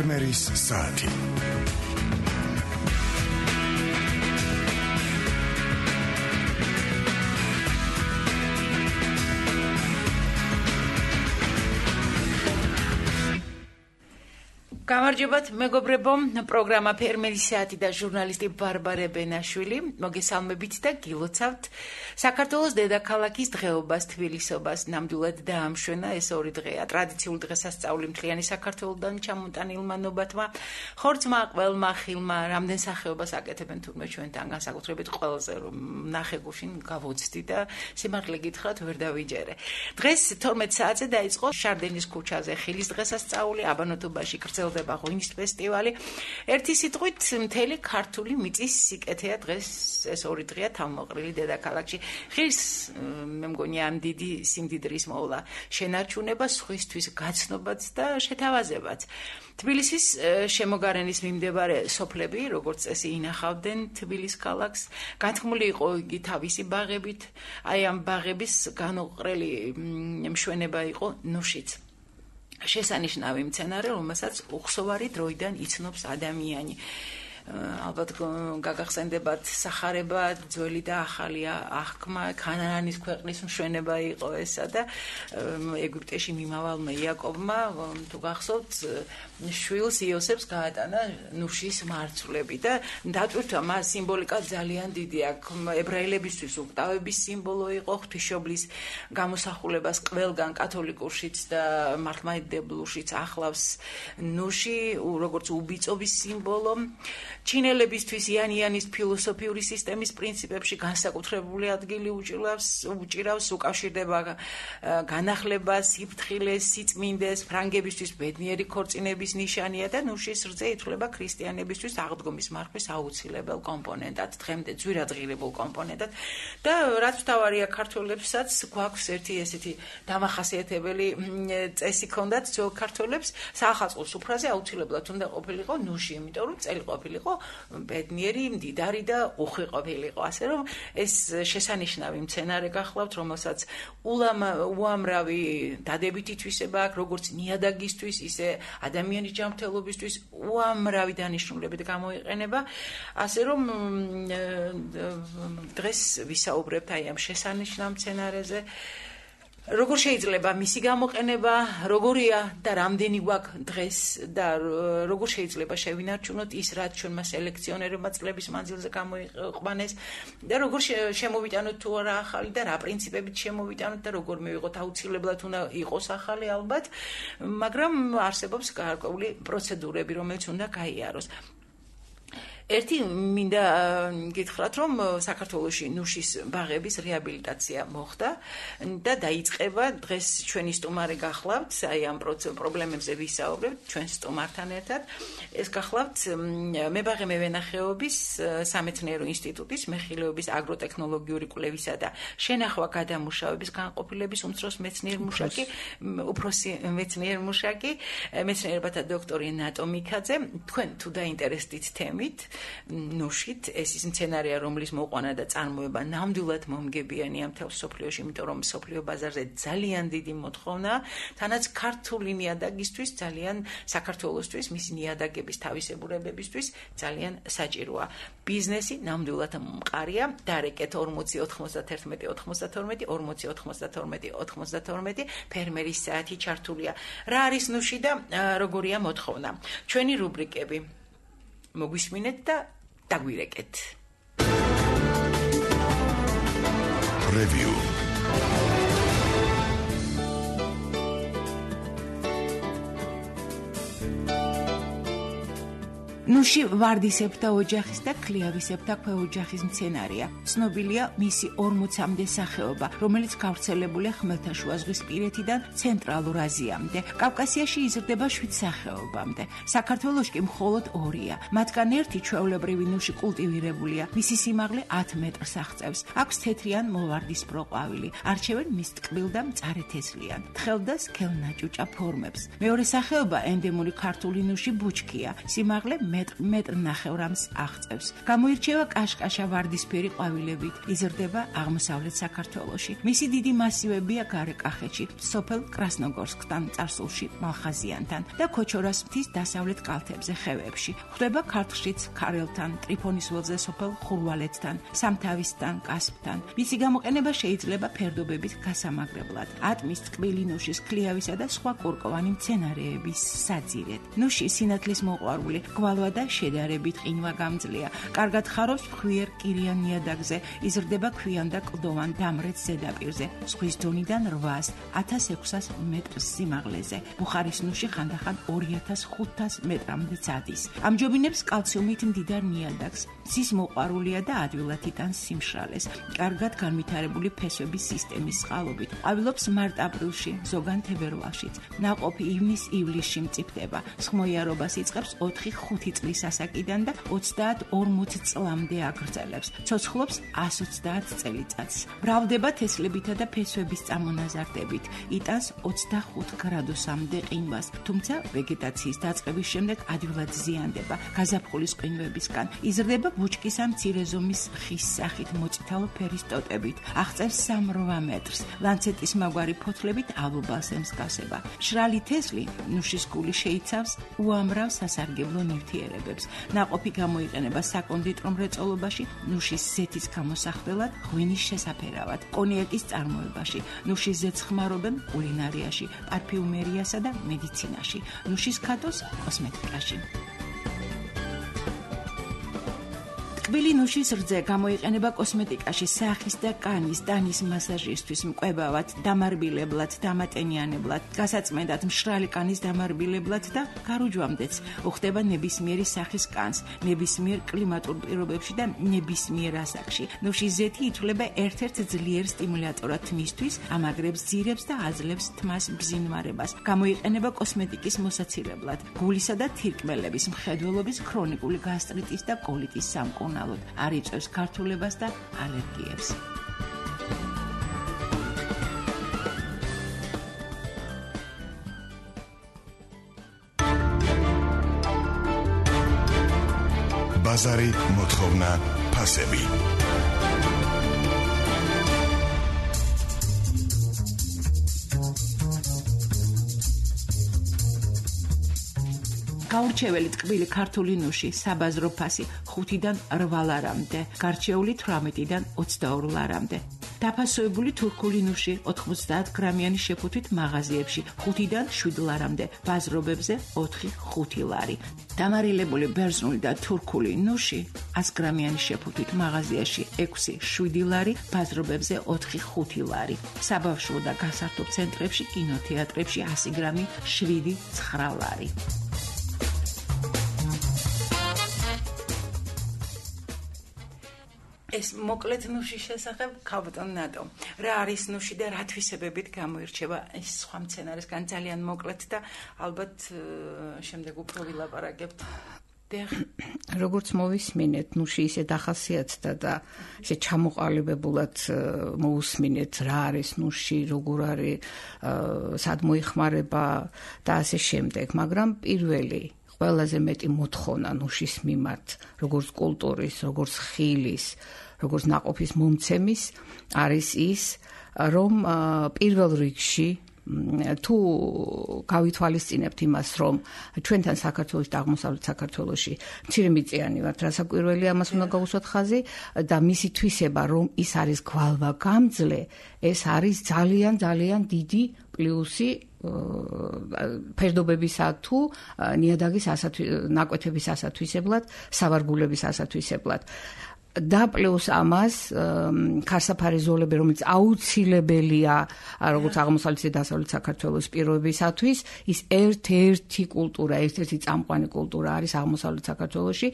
ფერმერის საათი. გამარჯობათ მეგობრებო, პროგრამა ფერმერის საათი და ჟურნალისტი ბარბარე ბენაშვილი. მოგესალმებით და გილოცავთ საქართველოს დედაქალაქის დღეობას, თბილისობას. ნამდვილად დაამშვენა ეს ორი დღეა. ტრადიციული დღესასწაული მთლიანი საქართველოდან ჩამოტანილმა ნობათმა, ხორცმა, ყველმა, ხილმა, რამდენ სახეობას აკეთებენ თურმე ჩვენთან, განსაკუთრებით ყველაზე რომ ნახე გუშინ გავოცდი და სიმართლე გითხრათ ვერ დავიჯერე. დღეს 12 საათზე დაიწყო შარდენის ქუჩაზე ხილის დღესასწაული, აბანოთობაში გრძელდება ღვინის ფესტივალი. ერთი სიტყვით მთელი ქართული მიწის სიკეთეა დღეს ეს ორი დღეა თავმოყრილი დედაქალაქში. ხილს მე მგონი ამ დიდი სიმდიდრის მოვლა შენარჩუნება, სხვისთვის გაცნობაც და შეთავაზებაც. თბილისის შემოგარენის მიმდებარე სოფლები, როგორც წესი, ინახავდნენ თბილის ქალაქს. განთქმული იყო იგი თავისი ბაღებით, აი ამ ბაღების განუყრელი მშვენება იყო ნუშიც. შესანიშნავი მცენარე, რომელსაც უხსოვარი დროიდან იცნობს ადამიანი. ალბათ გაგახსენდებათ სახარება, ძველი და ახალი აღქმა, ქანაანის ქვეყნის მშვენება იყო ესა და ეგვიპტეში მიმავალმა იაკობმა, თუ გახსოვთ, შვილს იოსებს გაატანა ნუშის მარცვლები და დატვირთვა მას სიმბოლიკა ძალიან დიდი აქვს. ებრაელებისთვის უკტავების სიმბოლო იყო, ღვთისმშობლის გამოსახულებას ყველგან კათოლიკურშიც და მართლმადიდებლურშიც ახლავს ნუში, როგორც უბიწობის სიმბოლო. ჩინელებისთვის იანიანის ფილოსოფიური სისტემის პრინციპებში განსაკუთრებული ადგილი უჭირავს, უკავშირდება განახლებას, სიფრთხილეს, სიწმინდეს, ფრანგებისთვის ბედნიერი ქორწინების ნიშანია და ნუშის რძე ითვლება ქრისტიანებისთვის აღდგომის მარხვის აუცილებელ კომპონენტად, დღემდე ძვირადღირებულ კომპონენტად და რაც მთავარია ქართველებსაც გვაქვს ერთი ესეთი დამახასიათებელი წესი ჰქონდათ ძველ ქართველებს, საახალწლო სუფრაზე აუცილებლად უნდა ყოფილიყო ნუში, იმიტომ რომ წელი ყოფილიყო ბედნიერი, მდიდარი და უხვი ყოფილიყო. ასე რომ ეს შესანიშნავი მცენარე გახლავთ, რომელსაც უამრავი დადებითი თვისება აქვს, როგორც ნიადაგისთვის, ისე ადამიანის ჯანმრთელობისთვის უამრავი დანიშნულებით გამოიყენება. ასე რომ დღეს ვისაუბრებთ აი ამ შესანიშნავ მცენარეზე. როგორ შეიძლება მისი გამოყენება, როგორია და რამდენი გვაქვს დღეს და როგორ შეიძლება შევინარჩუნოთ ის, რაც ჩვენმა სელექციონერებმა წლების მანძილზე გამოიყვანეს და როგორ შემოვიტანოთ თუ არა ახალი და რა პრინციპებით შემოვიტანოთ და როგორ მივიღოთ, აუცილებლად უნდა იყოს ახალი ალბათ, მაგრამ არსებობს გარკვეული პროცედურები, რომელიც უნდა გაიაროს. ერთი მინდა გითხრათ, რომ საქართველოში ნუშის ბაღების რეაბილიტაცია მოხდა და დაიწყება. დღეს ჩვენი სტუმარი გახლავთ, აი ამ პრობლემებზე ვისაუბრებთ ჩვენ სტუმართან ერთად. ეს გახლავთ მებაღე მევენახეობის სამეცნიერო ინსტიტუტის მეხილეობის აგროტექნოლოგიური კვლევისა და შენახვა გადამუშავების განყოფილების უმცროსი მეცნიერ მუშაკი, მეცნიერებათა დოქტორი ნატო მიქაძე. თქვენ თუ დაინტერესდით თემით ნუშით, ეს ის მცენარეა, რომლის მოყვანა და წარმოება ნამდვილად მომგებიანია მთელ მსოფლიოში, იმიტომ რომ მსოფლიო ბაზარზე ძალიან დიდი მოთხოვნა, თანაც ქართული ნიადაგისთვის ძალიან, საქართველოსთვის, მისი ნიადაგების თავისებურებებისთვის ძალიან საჭიროა. ბიზნესი ნამდვილად მყარია, დარეკეთ 40 91 92 40 92 92 ფერმერის საათი ჩართულია. რა არის ნუში და როგორია მოთხოვნა? ჩვენი რუბრიკები მოგვისმინეთ და დაგვირეკეთ. Review. ნუში ვარდისებრთა ოჯახის და ქლიავისებრთა ქვეოჯახის მცენარეა. ცნობილია მისი 40-მდე სახეობა, რომელიც გავრცელებულია ხმელთაშუაზღვისპირეთიდან ცენტრალურ აზიამდე. კავკასიაში იზრდება 7 სახეობამდე. საქართველოში კი მხოლოდ 2-ია. მათგან ერთი ჩვეულებრივი ნუში კულტივირებულია. მისი სიმაღლე 10 მეტრს აღწევს. აქვს თეთრი ან მოვარდისფრო ყვავილი. არჩევენ მის ტკბილ და მწარე თესლიან, თხელ და სქელნაჭუჭა ფორმებს. მეორე სახეობა ენდემური ქართული ნუში ბუჩქია. სიმაღლე მეტრ-ნახევრამს აღწევს. გამოირჩევა კაშკაშა ვარდისფერი ყვავილებით, იზრდება აღმოსავლეთ საქართველოში. მისი დიდი მასივებია გარეკახეთში, სოფელ კრასნოგორსკთან, წარსულში მალხაზიანთან და ქოჩორას მთის დასავლეთ კალთებზე ხევებში. ხვდება ქართლშიც ქარელთან, ტრიფონის ველზე სოფელ ხურვალეთთან, სამთავისთან, კასპთან. მისი გამოყენება შეიძლება ფერდობებით გასამაგრებლად. ატმის, ტკბილი ნუშის, ქლიავისა და სხვა კურკოვანი მცენარეების საძირედ. ნუში სინათლის მოყვარული, გვალვა და შედარებით ყინვა გამძლეა. კარგად ხარობს მხვიერ კირიან ნიადაგზე, იზრდება ქვიან და კლდოვან დამრეც ზედაპირზე. ზღვის დონიდან 800-1600 მეტრს სიმაღლეზე. ბუხარის ნუში ხანდახან 2500 მეტრამდე ადის. ამჯობინებს კალციუმით მდიდარ ნიადაგს. მზის მოყვარულია და ადვილად იტანს სიმშრალეს. კარგად განვითარებული ფესვების სისტემის წყალობით. ყვავილობს მარტ-აპრილში, ზოგან თებერვალშიც. ნაყოფი ივნის-ივლისში მწიფდება. სხმოიარობას იწყებს 4-5 წლის ასაკიდან და 30-40 წლამდე აგრძელებს. ცოცხლობს 130 წელიწადს. მრავლდება თესლებითა და ფესვების წამონაზარდებით. იტანს 25 გრადუსამდე ყინვას, თუმცა ვეგეტაციის დაწყების შემდეგ ადვილად ზიანდება გაზაფხულის ყინვებისგან. იზრდება ბუჩკის ან მცირე ზომის ხის სახით მოწითალო ფერის ტოტებით. აღწევს 3-8 მეტრს. ლანცეტის მაგვარი ფოთლებით ალუბალს ემსგავსება. მშრალი თესლი ნუშის გული შეიცავს უამრავ სასარგებლო ნივთიერებებს. ნაყოფი გამოიყენება საკონდიტრო მრეწველობაში, ნუშის ზეთის გამოსახველად, ღვინის შესაფერავად, კონიაკის წარმოებაში. ნუშის ზეთს ხმარობენ კულინარიაში, პარფიუმერიასა და მედიცინაში. ნუშის ქათოს კოსმეტიკაში. ტკბილი ნუშის რძე გამოიყენება კოსმეტიკაში, სახის და კანის, ტანის მასაჟისთვის, მკვებავად, დამარბილებლად, დამატენიანებლად, გასაწმენდად, მშრალი კანის დამარბილებლად და გარუჯვამდეც. უხდება ნებისმიერი სახის კანს, ნებისმიერ კლიმატურ პირობებში და ნებისმიერ ასაკში. ნუშის ზეთი ითვლება ერთ-ერთ ძლიერ სტიმულატორად თმისთვის, ამაგრებს ძირებს და აძლევს თმას ბზინვარებას. გამოიყენება კოსმეტიკის მოსაცილებლად, გულისა და თირკმელების, მხედველობის, ქრონიკული გასტრიტის და კოლიტის სამკურნალოდ. არ იწვევს გართულებას და ალერგიებს. ბაზარი მოთხოვნა ფასები. გაურჩეველი ტკბილი ქართული ნუში, საბაზრო ფასი 5-დან 8 ლარამდე, გარჩეული 18-დან 22 ლარამდე. დაფასოებული თურქული ნუში 90 გრამიანი შეფუთვით მაღაზიებში 5-დან 7 ლარამდე, ბაზრობებზე 4-5 ლარი. დამარილებული ბერძნული და თურქული ნუში 100 გრამიანი შეფუთვით მაღაზიაში 6-7 ლარი, ბაზრობებზე 4-5 ლარი. საბავშვო და გასართობ ცენტრებში, კინოთეატრებში 100 გრამი 7-9 ლარი. ეს მოკლედ ნუშის შესახებ ქალბატონ ნატო. რა არის ნუში და რა თვისებებით გამოირჩევა ეს სხვა მცენარესგან ძალიან მოკლედ და ალბათ შემდეგ უფრო ვილაპარაკებთ. როგორც მოვისმინეთ, ნუში ისე დახასიათდა და ისე ჩამოყალიბებულად მოусმინეთ რა არის ნუში, როგორ არის, სად მოიხმარება და ასე შემდეგ, მაგრამ პირველი ყველაზე მეტი მოთხოვნა ნუშის მიმართ, როგორც კულტურის, როგორც ხილის, როგორც ნაყოფის მომცემის არის ის, რომ პირველ რიგში თუ გავითვალისწინებთ იმას, რომ ჩვენთან საქართველოს და აღმოსავლეთ საქართველოში მცირემიწიანი ვართ, რასაკვირველი ამას უნდა გაუსვათ ხაზი და მისი თვისება, რომ ის არის გვალვა გამძლე, ეს არის ძალიან ძალიან დიდი პლუსი ფერდობებისა თუ ნიადაგის ნაკვეთების ასათვისებლად, სავარგულების ასათვისებლად. და პლუს ამას ქარსაფარი ზოლები, რომელიც აუცილებელია როგორც აღმოსავლეთ და დასავლეთ საქართველოს პირობებისათვის, ის ერთ-ერთი კულტურა, ერთ-ერთი წამყვანი კულტურა არის აღმოსავლეთ საქართველოში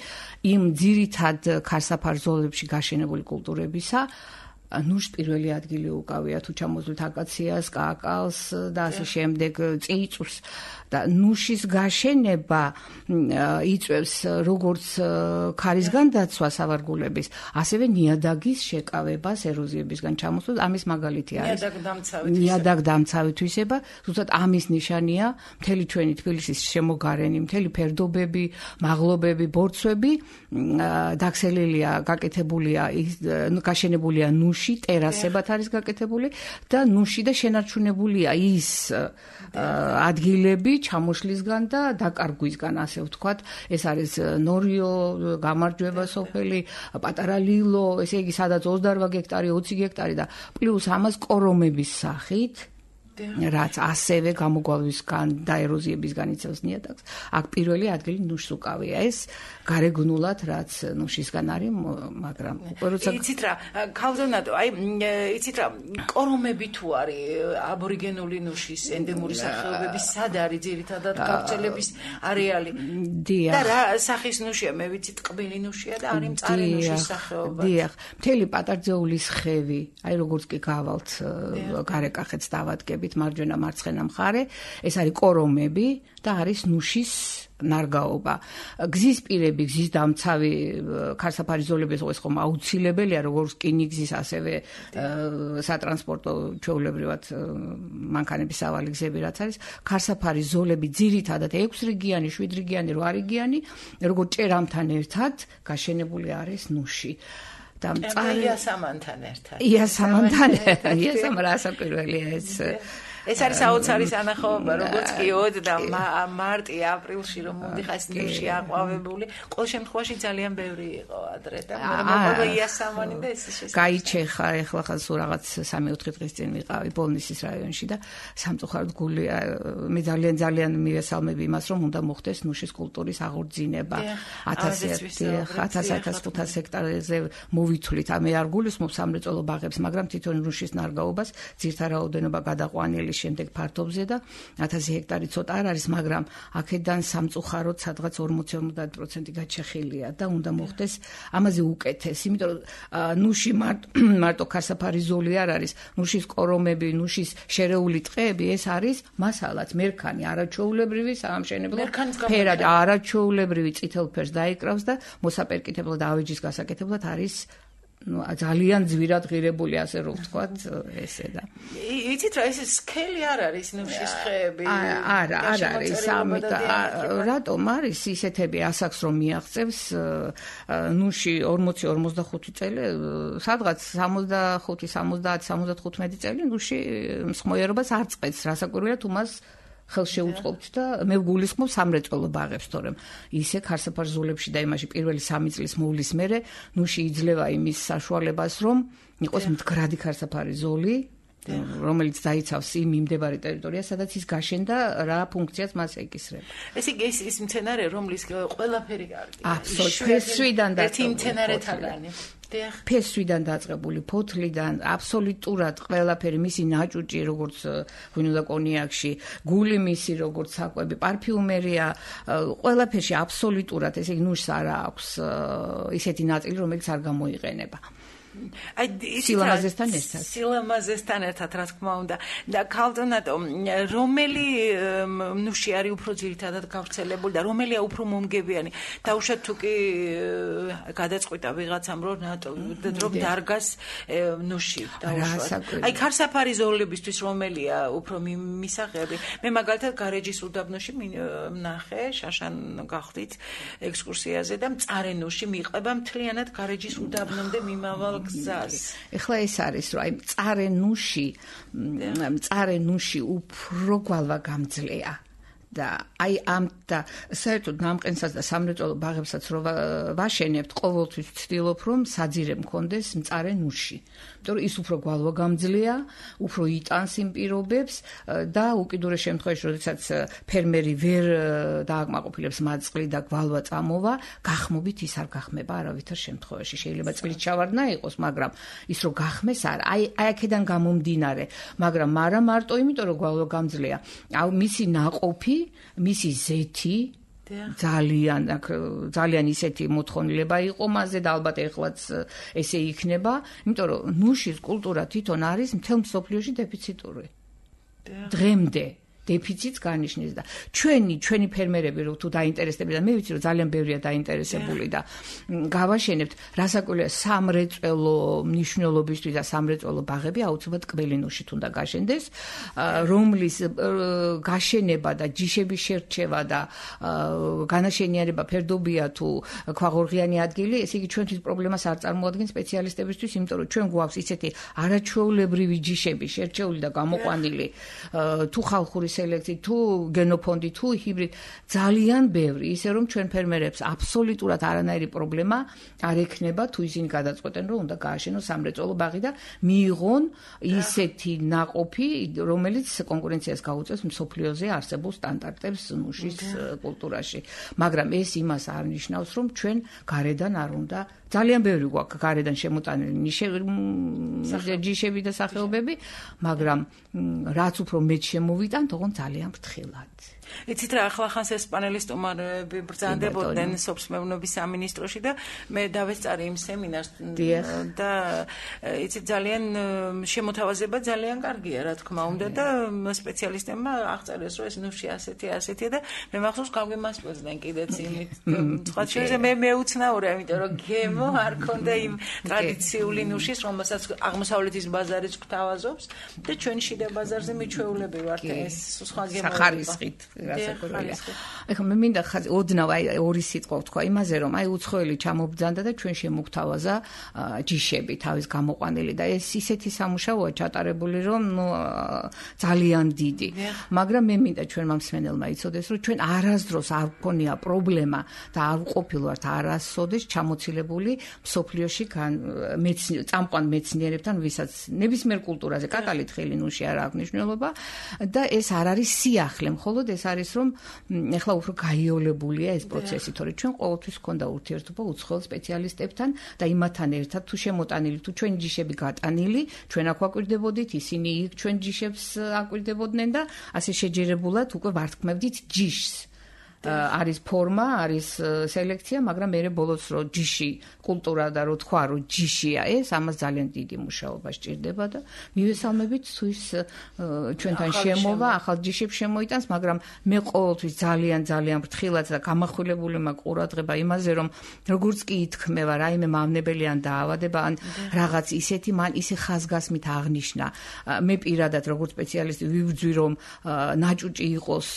იმ ძირითად ქარსაფარ ზოლებში გაშენებული კულტურებისა, ნუშს პირველი ადგილი უკავია თუ ჩამოძვლით აკაციას, კაკალს და ასე შემდეგ წიწვს და ნუშის გაშენება იწვევს როგორც ქარისგან დაცვა სავარგულების, ასევე ნიადაგის შეკავებას ეროზიებისგან ჩამოსვლას. ამის მაგალითი არის ნიადაგდამცავი თვისება, ზუსტად ამის ნიშანია მთელი ჩვენი თბილისის შემოგარენი, მთელი ფერდობები, მაღლობები, ბორცვები დაქცელილია, გაკეთებულია, გაშენებულია ნუში, ტერასებად არის გაკეთებული და ნუში და შენარჩუნებულია ის ადგილები ჩამოშლისგან და დაკარგვისგან, ასე ვთქვათ. ეს არის ნორიო, გამარჯვება სოფელი, პატარა ლილო, ესე იგი სადაც 28 გექტარი, 20 გექტარი და პლუს ამას კორომების სახით რაც ასევე გამოგვალვისგან და ეროზიებისგან იწევს ნიადაგს. აქ პირველი ადგილი ნუშს უკავია. ეს გარეგნულად რაც ნუშისგან არის, მაგრამ როცა იცით რა, ქალბატონო, იცით რა, კორომები თუ არის აბორიგენული ნუშის ენდემური სახეობების სად არის ძირითადად გავრცელების არეალი? და რა სახის ნუშია? მე ვიცი ტყბილი ნუშია და არის მწარე ნუშის სახეობა. დიახ, მთელი პატარძეულის ხევი, აი როგორც კი გავალთ გარეკახეთს დავადგებით მარჯვენა მარცხენა მხარე, ეს არის კორომები და არის ნუშის ნარგაობა. გზის პირები, გზის დამცავი ქარსაფარი ზოლები ეს ხომ აუცილებელია, როგორც რკინიგზის, ასევე სატრანსპორტო ჩვეულებრივად მანქანების სავალი გზები რაც არის, ქარსაფარი ზოლები ძირითადად 6 რიგიანი, 7 რიგიანი, 8 რიგიანი, როგორც ჭერამთან ერთად გაშენებული არის ნუში. იასამანთან ერთად. იასამ რასაკვირველია ეს. ეს არის საოცარი სანახაობა, როგორც კი ოდ და მარტი, აპრილში რომ მომდიხარ ნუში აყვავებული, ყოველ შემთხვევაში ძალიან ბევრი იყო ადრე და მოყვა იასამანი და ეს შესაძლოა. გაიჩეხა ეხლა ხან სულ რაღაც 3-4 დღის წინ ვიყავი ბოლნისის რაიონში და სამწუხაროდ გული მე ძალიან მივესალმები იმას, რომ უნდა მოხდეს ნუშის კულტურის აღორძინება. 1000-1500 ჰექტარზე მოვითვლით. მე არ გულისხმობ სამრეწველო ბაღებს, მაგრამ თვითონ ნუშის ნარგაობას ძირთა რაოდენობა გადაყვანილი შემდეგ ფართობზე და 1000 ჰექტარი ცოტა არ არის, მაგრამ აქედან სამწუხაროდ სადღაც 40-50% გაჩეხილია და უნდა მოხდეს ამაზე უკეთეს, იმიტომ რომ ნუში მარტო ქარსაფარი ზოლი არ არის, ნუშის კორომები, ნუშის შერეული ტყეები, ეს არის მასალაც, მერქანი, არაჩვეულებრივი საამშენებლო ფერად, არაჩვეულებრივი წითელ ფერს დაიკრავს და მოსაპერკითებლად ავეჯის გასაკეთებლად არის ძალიან ძვირად ღირებული, ასე რომ ვთქვათ, ესე და. იცით რა, ეს სქელი არ არის ნუშის ხეები? არა არის, რატომ არის ისეთები ასაკს რომ მიაღწევს ნუში 40-45 წელი, სადღაც 65-70-75 წელი ნუში მსხმოიარობას არ წყეთს, რასაკვირველია თუ მას ხელს შეუწყობთ და მე ვგულისხმობ სამრეწველო ბაღებს, თორემ ისე ქარსაფარ ზოლებში და იმაში პირველი 3 წლის მოვლის მერე ნუში იძლევა იმის საშუალებას, რომ იყოს მდგრადი ქარსაფარი ზოლი, რომელიც დაიცავს იმ მიმდებარე ტერიტორიას, სადაც ის გაშენდა, რა ფუნქციას მას ეკისრება. ეს იგი ის მცენარე, რომლის ყველაფერი კარგია. აბსოლუტურად ფესვიდან და ერთი მცენარეთაგანი. ფესვიდან დაწყებული, ფოთლიდან, აბსოლუტურად ყველაფერი, მისი ნაჭუჭი, როგორც ღვინო და კონიაკში, გული მისი, როგორც საკვები, პარფიუმერია, ყველაფერში აბსოლუტურად, ესე იგი ნუშს არ აქვს ისეთი ნაწილი, რომელიც არ გამოიყენება. სილამაზესთან ერთად, რა თქმა უნდა. და ქალბატონო, რომელი ნუში არის უფრო ძირითადად გავრცელებული და რომელია უფრო მომგებიანი? დაუშვათ თუ კი გადაწყვიტა ვიღაცამ რომ დარგას ნუში დაუშვათ. აი ქარსაფარი ზოლებისთვის რომელია უფრო მისაღები? მე მაგალითად გარეჯის უდაბნოში ვნახე, შაშან გახვდით ექსკურსიაზე და მწარე ნუში მიყვება მთლიანად გარეჯის უდაბნომდე მიმავალ გზას. ეხლა ეს არის, რომ აი მწარე ნუში უფრო გვალვა გამძლეა. და აი ამ და საერთოდ ნამყენსაც და სამრეწველო ბაღებსაც რო ვაშენებთ, ყოველთვის ვცდილობ, რომ საძირე მქონდეს მწარე ნუში. იმიტომ რომ ის უფრო გვალვა გამძლეა, უფრო იტანს იმ პირობებს და უკიდურეს შემთხვევაში, როდესაც ფერმერი ვერ დააკმაყოფილებს მაწყლი და გვალვა წამოვა, გახმობით ის არ გახმება არავითარ შემთხვევაში. შეიძლება წლით ჩავარდნა იყოს, მაგრამ ის რო გახმეს არ, აი აქედან გამომდინარე, მაგრამ მარა მარტო იმიტომ რომ გვალვა გამძლეა, მისი ნაყოფი, მისი ზეთი ძალიან ისეთი მოთხოვნილება იყო მასზე და ალბათ ეხლაც ესე იქნება, იმიტომ რომ ნუშის კულტურა თვითონ არის მთელ მსოფლიოში დეფიციტური. დღემდე დეფიციტს განიშნის და ჩვენი ფერმერები რო თუ დაინტერესდებიან და მე ვიცი რომ ძალიან ბევრია დაინტერესებული და გავაშენებთ რასაკვირველია სამრეწველო მნიშვნელობისთვის და სამრეწველო ბაღები აუცილებლად კბილინუშით უნდა გაშენდეს რომლის გაშენება და ჯიშების შერჩევა და განაშენიანება ფერდობია თუ ქვაღორღიანი ადგილი ესე იგი ჩვენთვის პრობლემას არ წარმოადგენს სპეციალისტებისთვის იმიტომ რომ ჩვენ გვაქვს ისეთი არაჩვეულებრივი ჯიშები შერჩეული და გამოყვანილი თუ ხალხური სელექცია თუ გენოფონდი თუ ჰიბრიდ ძალიან ბევრი ისე რომ ჩვენ ფერმერებს აბსოლუტურად არანაირი პრობლემა არ ექნება თუ ისინი გადაწყვეტენ რომ უნდა გააშენოს სამრეწველო ბაღი და მიიღონ ისეთი ნაყოფი რომელიც კონკურენციას გაუწევს მსოფლიოზე არსებულ სტანდარტებს ნუშის კულტურაში მაგრამ ეს იმას არ ნიშნავს რომ ჩვენ გარედან არ უნდა ძალიან ბევრი გვაქვს გარედან შემოტანილი ჯიშები და სახეობები მაგრამ რაც უფრო მეტ შემოვიტანთ ოღონდ ძალიან ფრთხილად იცით რა ახლა ესპანელის სტუმარები ბრძანდებოდნენ სოფსმეურნეობის სამინისტროში და მე დავესწარი იმ სემინარს და იცით ძალიან შემოთავაზება ძალიან კარგია რა თქმა უნდა და სპეციალისტებმა აღწერეს რომ ეს ნუში ასეთია და მე მახსოვს გავგემასპირდნენ კიდეც იმით სხვა შეიძლება მე მეუცნაურია იმიტომ რომ გემო არ ქონდა იმ ტრადიციული ნუშის რომელსაც აღმოსავლეთის ბაზარიც გვთავაზობს და ჩვენ შიდა ბაზარზე მიჩვეულები ვართ ეს სხვა გემოები გასაკურველია. ეხლა მე მინდა ოდნავ ორი სიტყვა ვთქვა იმაზე რომ უცხოელი ჩამობძანდა და ჩვენ შემოგთავაზა ჯიშები თავის გამოყვანილი და ეს ისეთი სამუშაოა ჩატარებული რომ ძალიან დიდი. მაგრამ მე მინდა ჩვენმა მსმენელმა იცოდეს რომ ჩვენ არასდროს არ გქონია პრობლემა და არ ვყოფილვართ არასოდეს ჩამოცილებული მსოფლიოში წამყვან მეცნიერებთან ვისაც ნებისმიერ კულტურაზე კაკალით ხელი ნუში არ აქვს მნიშვნელობა და ეს არ არის სიახლე მხოლოდ ეს არის რომ ეხლა უფრო გაიოლებულია ეს პროცესი, თორე ჩვენ ყოველთვის გქონდა ურთიერთობა უცხოელ სპეციალისტებთან და იმათთან ერთად თუ შემოტანილი თუ ჩვენ ჯიშები გატანილი, ჩვენ აქ ვაკვირდებოდით, ისინი იქ ჩვენ ჯიშებს აკვირდებოდნენ და ასე შეჯერებულად უკვე ვართქმევდით ჯიშს. არის ფორმა, არის სელექცია, მაგრამ მე ბოლოს რო ჯიში კულტურა და რო თქვა რომ ჯიშია ეს, ამას ძალიან დიდი მუშაობა სჭირდება და მივესალმებით თუ ის ჩვენთან შემოვა, ახალ ჯიშებს შემოიტანს, მაგრამ მე ყოველთვის ძალიან ფრთხილად და გამახვილებული მაქვს ყურადღება იმაზე, რომ როგორც კი ითქმევა რაიმე მავნებელი ან დაავადება ან რაღაც ისეთი მან ისე ხაზგასმით აღნიშნა. მე პირადად როგორც სპეციალისტი ვიბრძვი რომ ნაჭუჭი იყოს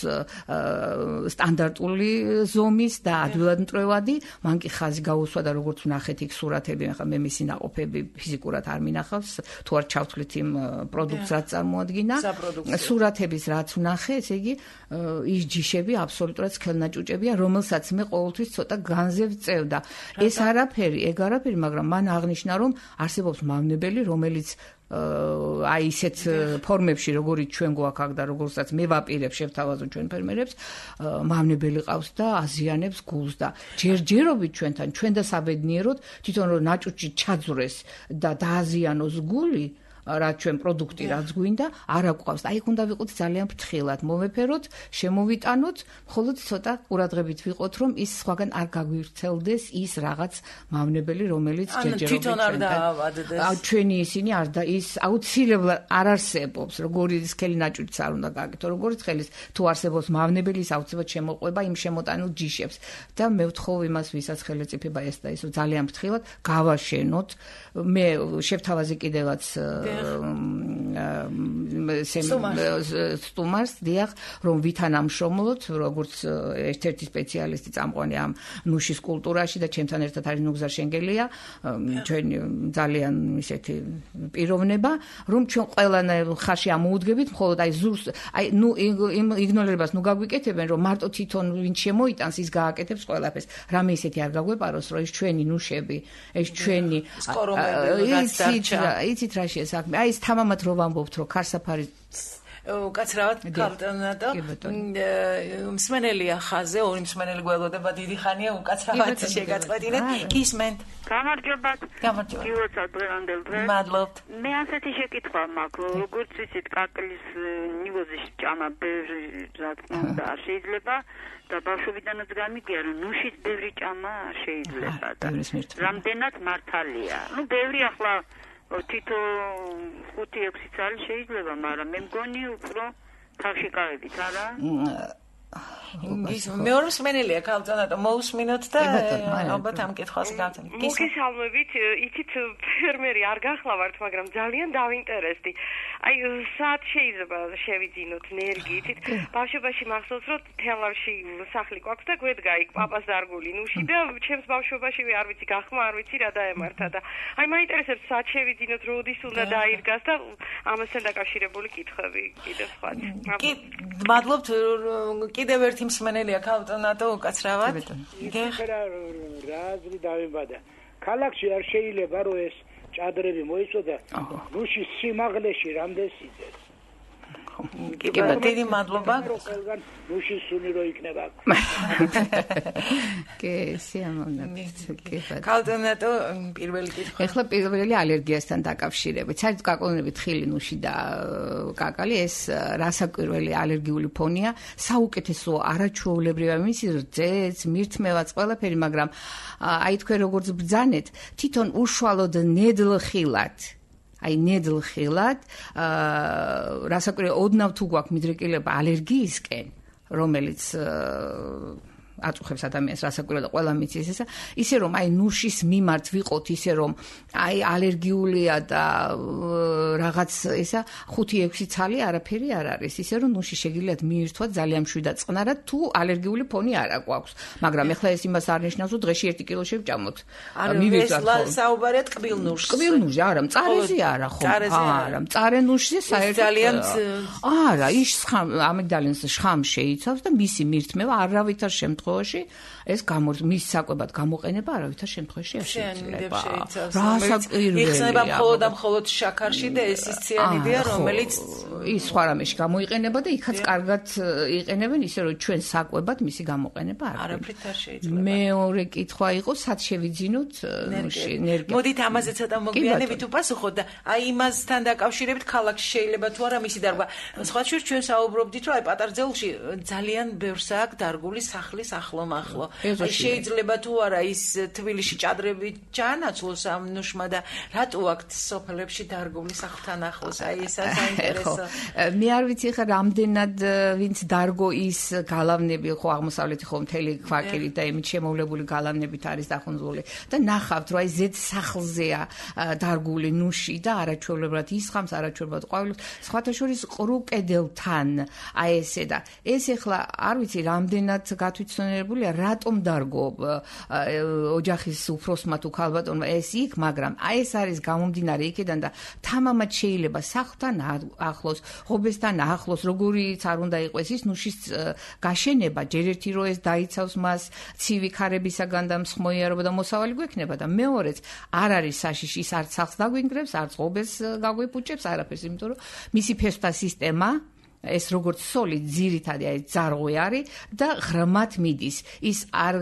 სტანდარტული ზომის და ადვილად მტრევადი, მან კი ხაზი გაუსვა და როგორც ვნახეთ იქ სურათები, ახლა მე მისი ნაყოფები ფიზიკურად არ მინახავს, თუ არ ჩავთვლით იმ პროდუქტს რაც წარმოადგინა, სურათების რაც ვნახე, ესე იგი ის ჯიშები აბსოლუტურად სქელნაჭუჭებია, რომელსაც მე ყოველთვის ცოტა განზე ვწევდა. ეს არაფერი, მაგრამ მან აღნიშნა რომ არსებობს მავნებელი, რომელიც აი ისეთ ფორმებში როგორიც ჩვენ გვაქვს აქ და როგორცაც მე ვაპირებ შევთავაზო ჩვენ ფერმერებს მავნებელი ყავს და აზიანებს გულს და ჯერჯერობით ჩვენ და საბედნიეროდ თვითონ რომ ნაჭუჭი ჩაძვრეს და დააზიანოს გული რაც ჩვენ პროდუქტი რაც გვინდა არ აკვავს. აი უნდა ვიყოთ ძალიან ფრთხილად, მოვეფეროთ, შემოვიტანოთ, მხოლოდ ცოტა ყურადღებით ვიყოთ, რომ ის სხვაგან არ გაგვირთელდეს ის რაღაც მავნებელი, რომელიც ჯერჯერობით თვითონ არ დაავადდეს. ჩვენი ისინი არ და ის აუცილებლად არ არსებობს, როგორი სქელი ნაჭუჭიც არ უნდა გააკეთო, როგორიც ხელის თუ არსებობს მავნებელი, ის აუცილებლად შემოყვება იმ შემოტანილ ჯიშებს. და მე ვთხოვ იმას, ვისაც ხელეწიფება ეს და ის ძალიან ფრთხილად გავაშენოთ. მე შევთავაზე კიდევაც სტუმარს დიახ რომ ვითანამშრომლოთ როგორც ერთ-ერთი სპეციალისტი წამყვანი ამ ნუშის კულტურაში და ჩემთან ერთად არის ნუგზარ შენგელია ჩვენ ძალიან ისეთი პიროვნება რომ ჩვენ ყველანაირ ხარში ამოუდგებით მხოლოდ აი ზურს აი ნუ იგნორირებას ნუ გაგვიკეთებენ რომ მარტო თვითონ ვინც შემოიტანს ის გააკეთებს ყველაფერს რამე ისეთი არ გაგვეპაროს რომ ეს ჩვენი ნუშები ეს ჩვენი სკორომები რაც დარჩა იცით რა შეესაქმე აი ეს თამამად რო ვამბობთ რომ ქარსაფარი უკაცრავად ქალტონატო მსმენელია ხაზე ორი მსმენელი გველოდება დიდი ხანია უკაცრავად შეგაწყვეტინეთ გისმენთ გამარჯობათ გილოცავთ დღევანდელ დღეს მადლობთ მე ასეთი შეკითხვა მაქვს როგორც იცით კაკლის ნივოზის ჭამა ბევრი ზატკნა შეიძლება და ბავშვობიდანაც გამიგია რომ ნუშის ბევრი ჭამა შეიძლება და რამდენად მართალია ბევრი ახლა თითო 5-6 წელი შეიძლება მაგრამ მე მგონი უფრო თავში გავებით არა მეორე მსმენელია ქალწონატო მოусმინოთ და ალბათ ამ კითხვას გავცემთ. მოგესალმებით, იცით ფერმერი არ გახლავართ, მაგრამ ძალიან დავინტერესდი. აი, სად შეიძლება შევიძინოთ ენერგიით? ბავშვობაში მახსოვს, რომ თელავში სახლი გვაქვს და გვედგა იქ პაპას დარგული ნუში და ჩემს ბავშვობაში არ ვიცი გახმა, არ ვიცი რა დაემართა და აი მაინტერესებს სად შევიძინოთ, როდის უნდა დაირგას და ამასთან დაკავშირებული კითხვები კიდევ სხვა. კი, მადლობთ კიდევ ერთი მსმენელია ქალწონატო უკაცრავად. რა აზრი დავიბადა. ქალაქში არ შეიძლება რომ ეს ჭადრები მოიწოდა. ნუშის სიმაღლეში რამდენ სიძეს. კი, დიდი მადლობა. ნუშის სუნი რო იქნება. კი, სიამოვნებთ. ქალწონატო პირველი კითხვა. ეხლა პირველი ალერგიასთან დაკავშირებით. საერთოდ გაყოლნებით ხილი, ნუში და კაკალი ეს რასაკვირველი ალერგიული ფონია. საუკეთესო არაჩვეულებრივია მისი რძეც, მირთმევაც ყველაფერი, მაგრამ აი თქვენ როგორც ბრძანეთ, თვითონ უშუალოდ ნედლხილად აი ნედლხილად რასაკვირველია ოდნავ თუ გვაქვს მიდრეკილება ალერგიისკენ რომელიც აწუხებს ადამიანს რასაკვირველია ყველა მიცის ესა ისე რომ აი ნუშის მიმართ ვიყოთ ისე რომ აი ალერგიულია და რაღაც ესა 5-6 ცალი არაფერი არ არის ისე რომ ნუში შეგიძლიათ მიირთვათ ძალიან მშვიდად წყნარად თუ ალერგიული ფონი არ აქვს მაგრამ ეხლა ეს იმას არ ნიშნავს რომ დღეში 1 კილო შევჭამოთ მივიძვათ საუბარია ტკბილ ნუშს ტკბილ ნუში არა მწარეზე არა ხო არა მწარე ნუშზე საერთოდ ძალიან არა ის ამიგდალინს შხამ შეიცავს და მისი მირთმევა არავითარ შემთხვევაში ეს მის საკვებად გამოყენება არავითარ შემთხვევაში არ შეიძლება. რასაკვირველია. იხსნება მხოლოდ შაქარში და ეს ის ციანიდია, რომელიც ის სხვა რამეში გამოიყენება და იქაც კარგად იყენებენ ისე რომ ჩვენ საკვებად მისი გამოყენება არ არაფრით არ შეიძლება. მეორე კითხვა იყო, სად შევიძინოთ ენერგია. მოდით ამაზე ცოტა მოგვიანებით უპასუხოთ და აი იმასთან დაკავშირებით ქალაქში შეიძლება თუ არა მისი დარგვა. სხვა ჩვენ საუბრობდით რომ აი პატარძელში ძალიან ბევრს აქვს დარგული სახლის ახლო-მახლო. შეიძლება თუ არა ის თბილისში ჭადრები ჩაანაცვლოს ამ ნუშმა და რატო აქვთ სოფლებში დარგული სახლთან ახლოს აი ეს საინტერესო მე არ ვიცი ხა რამდენად ვინც დარგო ის გალავნები ხო აღმოსავლეთი ხო მთელი ქვაკირი და იმით შემოვლებული გალავნებით არის დახუნძული და ნახავთ რომ აი ზედ სახლზეა დარგული ნუში და არაჩვეულებრივად ისხამს არაჩვეულებრივად ყვავილობს სხვათა შორის ყრუ კედელთან აი ესე და ეს ეხლა არ ვიცი რამდენად გათვითცნობებულია რატომ დარგო ოჯახის უფროსმა თუ ქალბატონმა ეს იქ მაგრამ აი ეს არის გამომდინარე იქიდან და თამამად შეიძლება სახლთან ახლოს ღობესთან ახლოს როგორიც არ უნდა იყოს ის ნუშის გაშენება ჯერ ერთი რო ეს დაიცავს მას ცივი ქარებისაგან და მსხმოიარობა და მოსავალი გვექნება და მეორეც არ არის საშიში ის არც სახლს დაგვინგრებს არც ღობეს გაგვეპუჭებს არაფერს იმიტომ რომ მისი ფესვთა სისტემა ეს როგორც სოლი ძირითადი აი ძარღვი არის და ღრმად მიდის ის არ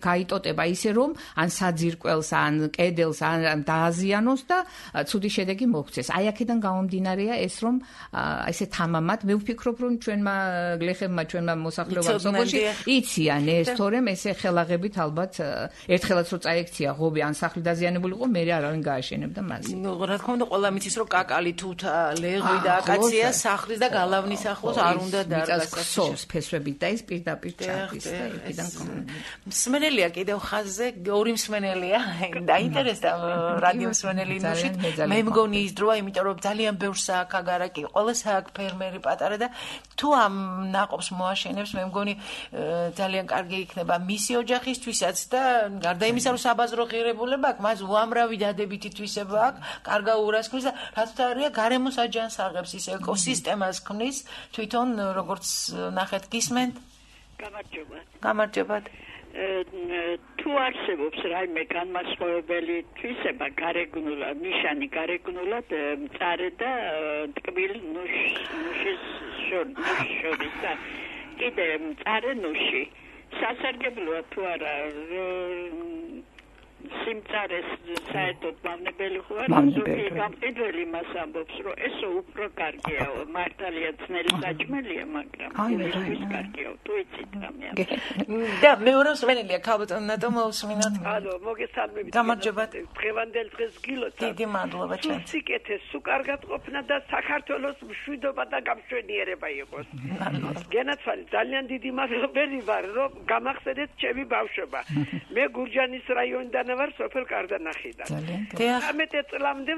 გაიტოტება ისე რომ ან საძირკველს ან კედელს ან დააზიანოს და ცუდი შედეგი მოგვცეს აი აქედან გამომდინარეა ეს რომ ესე თამამად მე ვფიქრობ რომ ჩვენმა გლეხებმა ჩვენმა მოსახლეობამ სოფელში იციან ეს თორემ ესე ხელაღებით ალბათ ერთხელაც რო წაექცია ღობე ან სახლი დაზიანებული იყო მე არავინ გააშენებდა მას რა თქმა უნდა ყველა მიცის რომ კაკალი თუთა ლეღვი და აკაცია სახლის და გალავნის ახლოს არ უნდა დარგას ფესვებით და ის პირდაპირ ჩადის და იქიდან მსმენელია კიდევ ხაზზე ორი მსმენელია დაინტერესდა რადიო მსმენელი ნუშით მე მგონი ის დროა იმიტომ რომ ძალიან ბევრს აქვს აგარაკი ყოველს აქვს ფერმერი პატარა და თუ ამ ნაყოფს მოაშენებს მე მგონი ძალიან კარგი იქნება მისი ოჯახისთვისაც და გარდა იმისა რომ საბაზრო ღირებულება აქვს მას უამრავი დადებითი თვისება აქვს კარგა ურას ქმნის და რაც თარია გარემოს აჯანსაღებს ის ეკოსისტემას ქმნის თვითონ როგორც ნახეთ გისმენთ გამარჯობათ გამარჯობათ თუ არსებობს რაიმე განმასხვავებელი თვისება გარეგნულად, ნიშანი გარეგნულად მწარე და ტკბილ ნუშის შორის და კიდე მწარე ნუში სასარგებლოა თუ არა სიმწარეს საერთოდ მავნებელი ხო არა გამყიდველი მას ამბობს რომ ესო უფრო კარგია მართალია ძნელი საჭმელია მაგრამ ის კარგია თუ იცით რამე და მეორეს ვენელია ქალბატონო მოусმინოთ ალო მოგესალმებით გამარჯობათ დღევანდელ დღეს გილოცავ დიდი მადლობა ჩვენ სიკეთე სულ კარგად ყოფნა და საქართველოს მშვიდობა და გამშვენიერება იყოს გენაცვალე ძალიან დიდი მადლობელი ვარ რომ გამახსენეთ ჩემი ბავშვობა მე გურჯანის რაიონიდან ვარ სოფელ კარდანახიდან. 13 წლამდე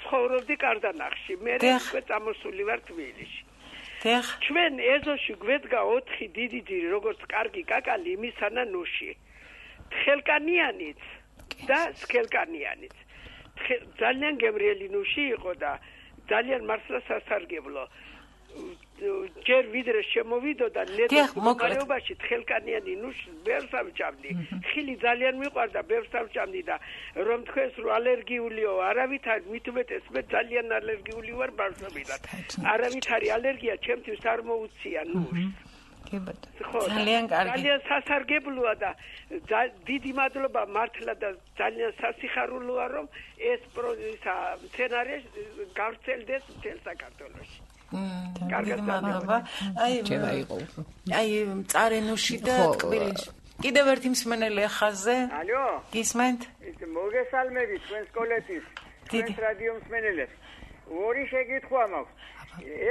ცხოვრობდი კარდანახში. მე უკვე წამოსული ვარ თბილისში. ჩვენ ეზოში გვედგა 4 დიდი ძირი, როგორც კარგი კაკალი, იმისანა ნუში. თხელკანიანიც და სქელკანიანიც. ძალიან გემრიელი ნუში იყო და ძალიან მართლა სასარგებლო. ჯერ ვიდრე შემოვიდოდა ნედლობაში თხელკანიანი ნუში ბევრს ამჭამდი. ხილი ძალიან მიყვარდა, ბევრს ამჭამდი და რომ თქვენს რომ ალერგიულიო, არავითარი მithumetes მე ძალიან ალერგიული ვარ ბავშვობიდან. არავითარი ალერგია ჩემთვის არ მოუწია ნუში. ძალიან კარგი. ძალიან სასარგებლოა და დიდი მადლობა მართლა და ძალიან სასიხარულოა რომ ეს სცენარი გავრცელდეს მთელ საქართველოში. კარგად მადლობა. აი მწარე ნუში და ტკბილი. კიდევ ერთი მსმენელი ხაზზე. ალო. გისმენთ? მოგესალმებით თქვენ სკოლეთის. თქვენ რადიო მსმენელებს. ორი შეკითხვა მაქვს.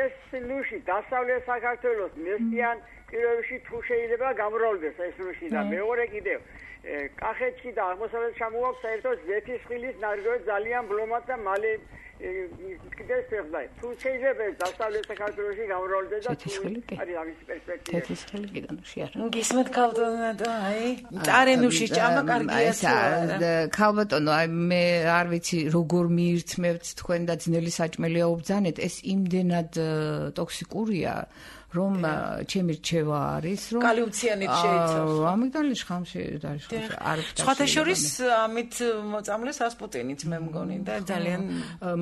ეს ნუში დასავლეთ საქართველოს მესტიან პირობებში თუ შეიძლება გამრავლდეს ეს ნუში და მეორე კიდევ კახეთში და აღმოსავლეთში ჩამოაქვს საერთოდ ზეთისხილის ნარგავი ძალიან ბლომად და მალე კიდევ შეხდა. თუ შეიძლება დასავლეთ საქართველოში გამრავლდეს და თუ არის ამის პერსპექტივა. თეთრისხილი კიდე ნუში არა. გისმენთ ქალბატონო, აი, მწარე ნუში ჭამა კარგია თუ არა. ქალბატონო, აი მე არ ვიცი როგორ მიირთმევთ თქვენ და ძნელი საჭმელია უბძანეთ, ეს იმდენად ტოქსიკურია. რომ ჩემი რჩევა არის რომ კალიუმციანით შეიცავს. ამიგდალი შხამში არის არ სხვათა შორის ამით მოწამლეს ასპუტინიც მე მგონი და ძალიან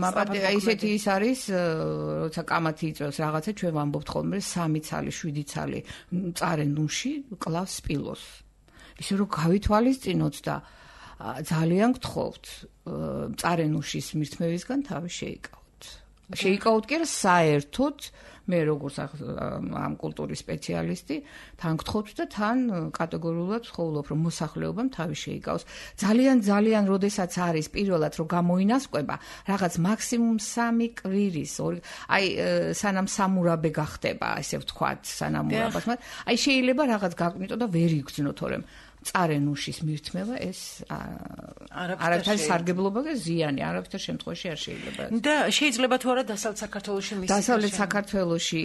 მაპატე ისეთი ის არის როცა კამათი იწვევს რაღაცა ჩვენ ვამბობთ ხოლმე 3 ცალი 7 ცალი მწარე ნუში კლავს სპილოს. ისე რომ გავითვალისწინოთ და ძალიან გთხოვთ მწარე ნუშის მირთმევისგან თავი შეიკავოთ. შეიკავოთ კი არა საერთოდ მე როგორც ამ კულტურის სპეციალისტი თან გთხოვთ და თან კატეგორიულად ვხოვლობ რომ მოსახლეობამ თავი შეიკავს ძალიან როდესაც არის პირველად რომ გამოინასკვება რაღაც მაქსიმუმ 3 კვირის აი სანამ სამურაბე გახდება ესე ვთქვათ სანამ მურაბას აი შეიძლება რაღაც გაკვნიტო და ვერ იგრძნო თორემ მწარე ნუშის მირთმევა ეს არაფერი სარგებლობა და ზიანი არაფერ შემთხვევაში არ შეიძლება და შეიძლება თუ არა დასავლეთ საქართველოში მის დასავლეთ საქართველოში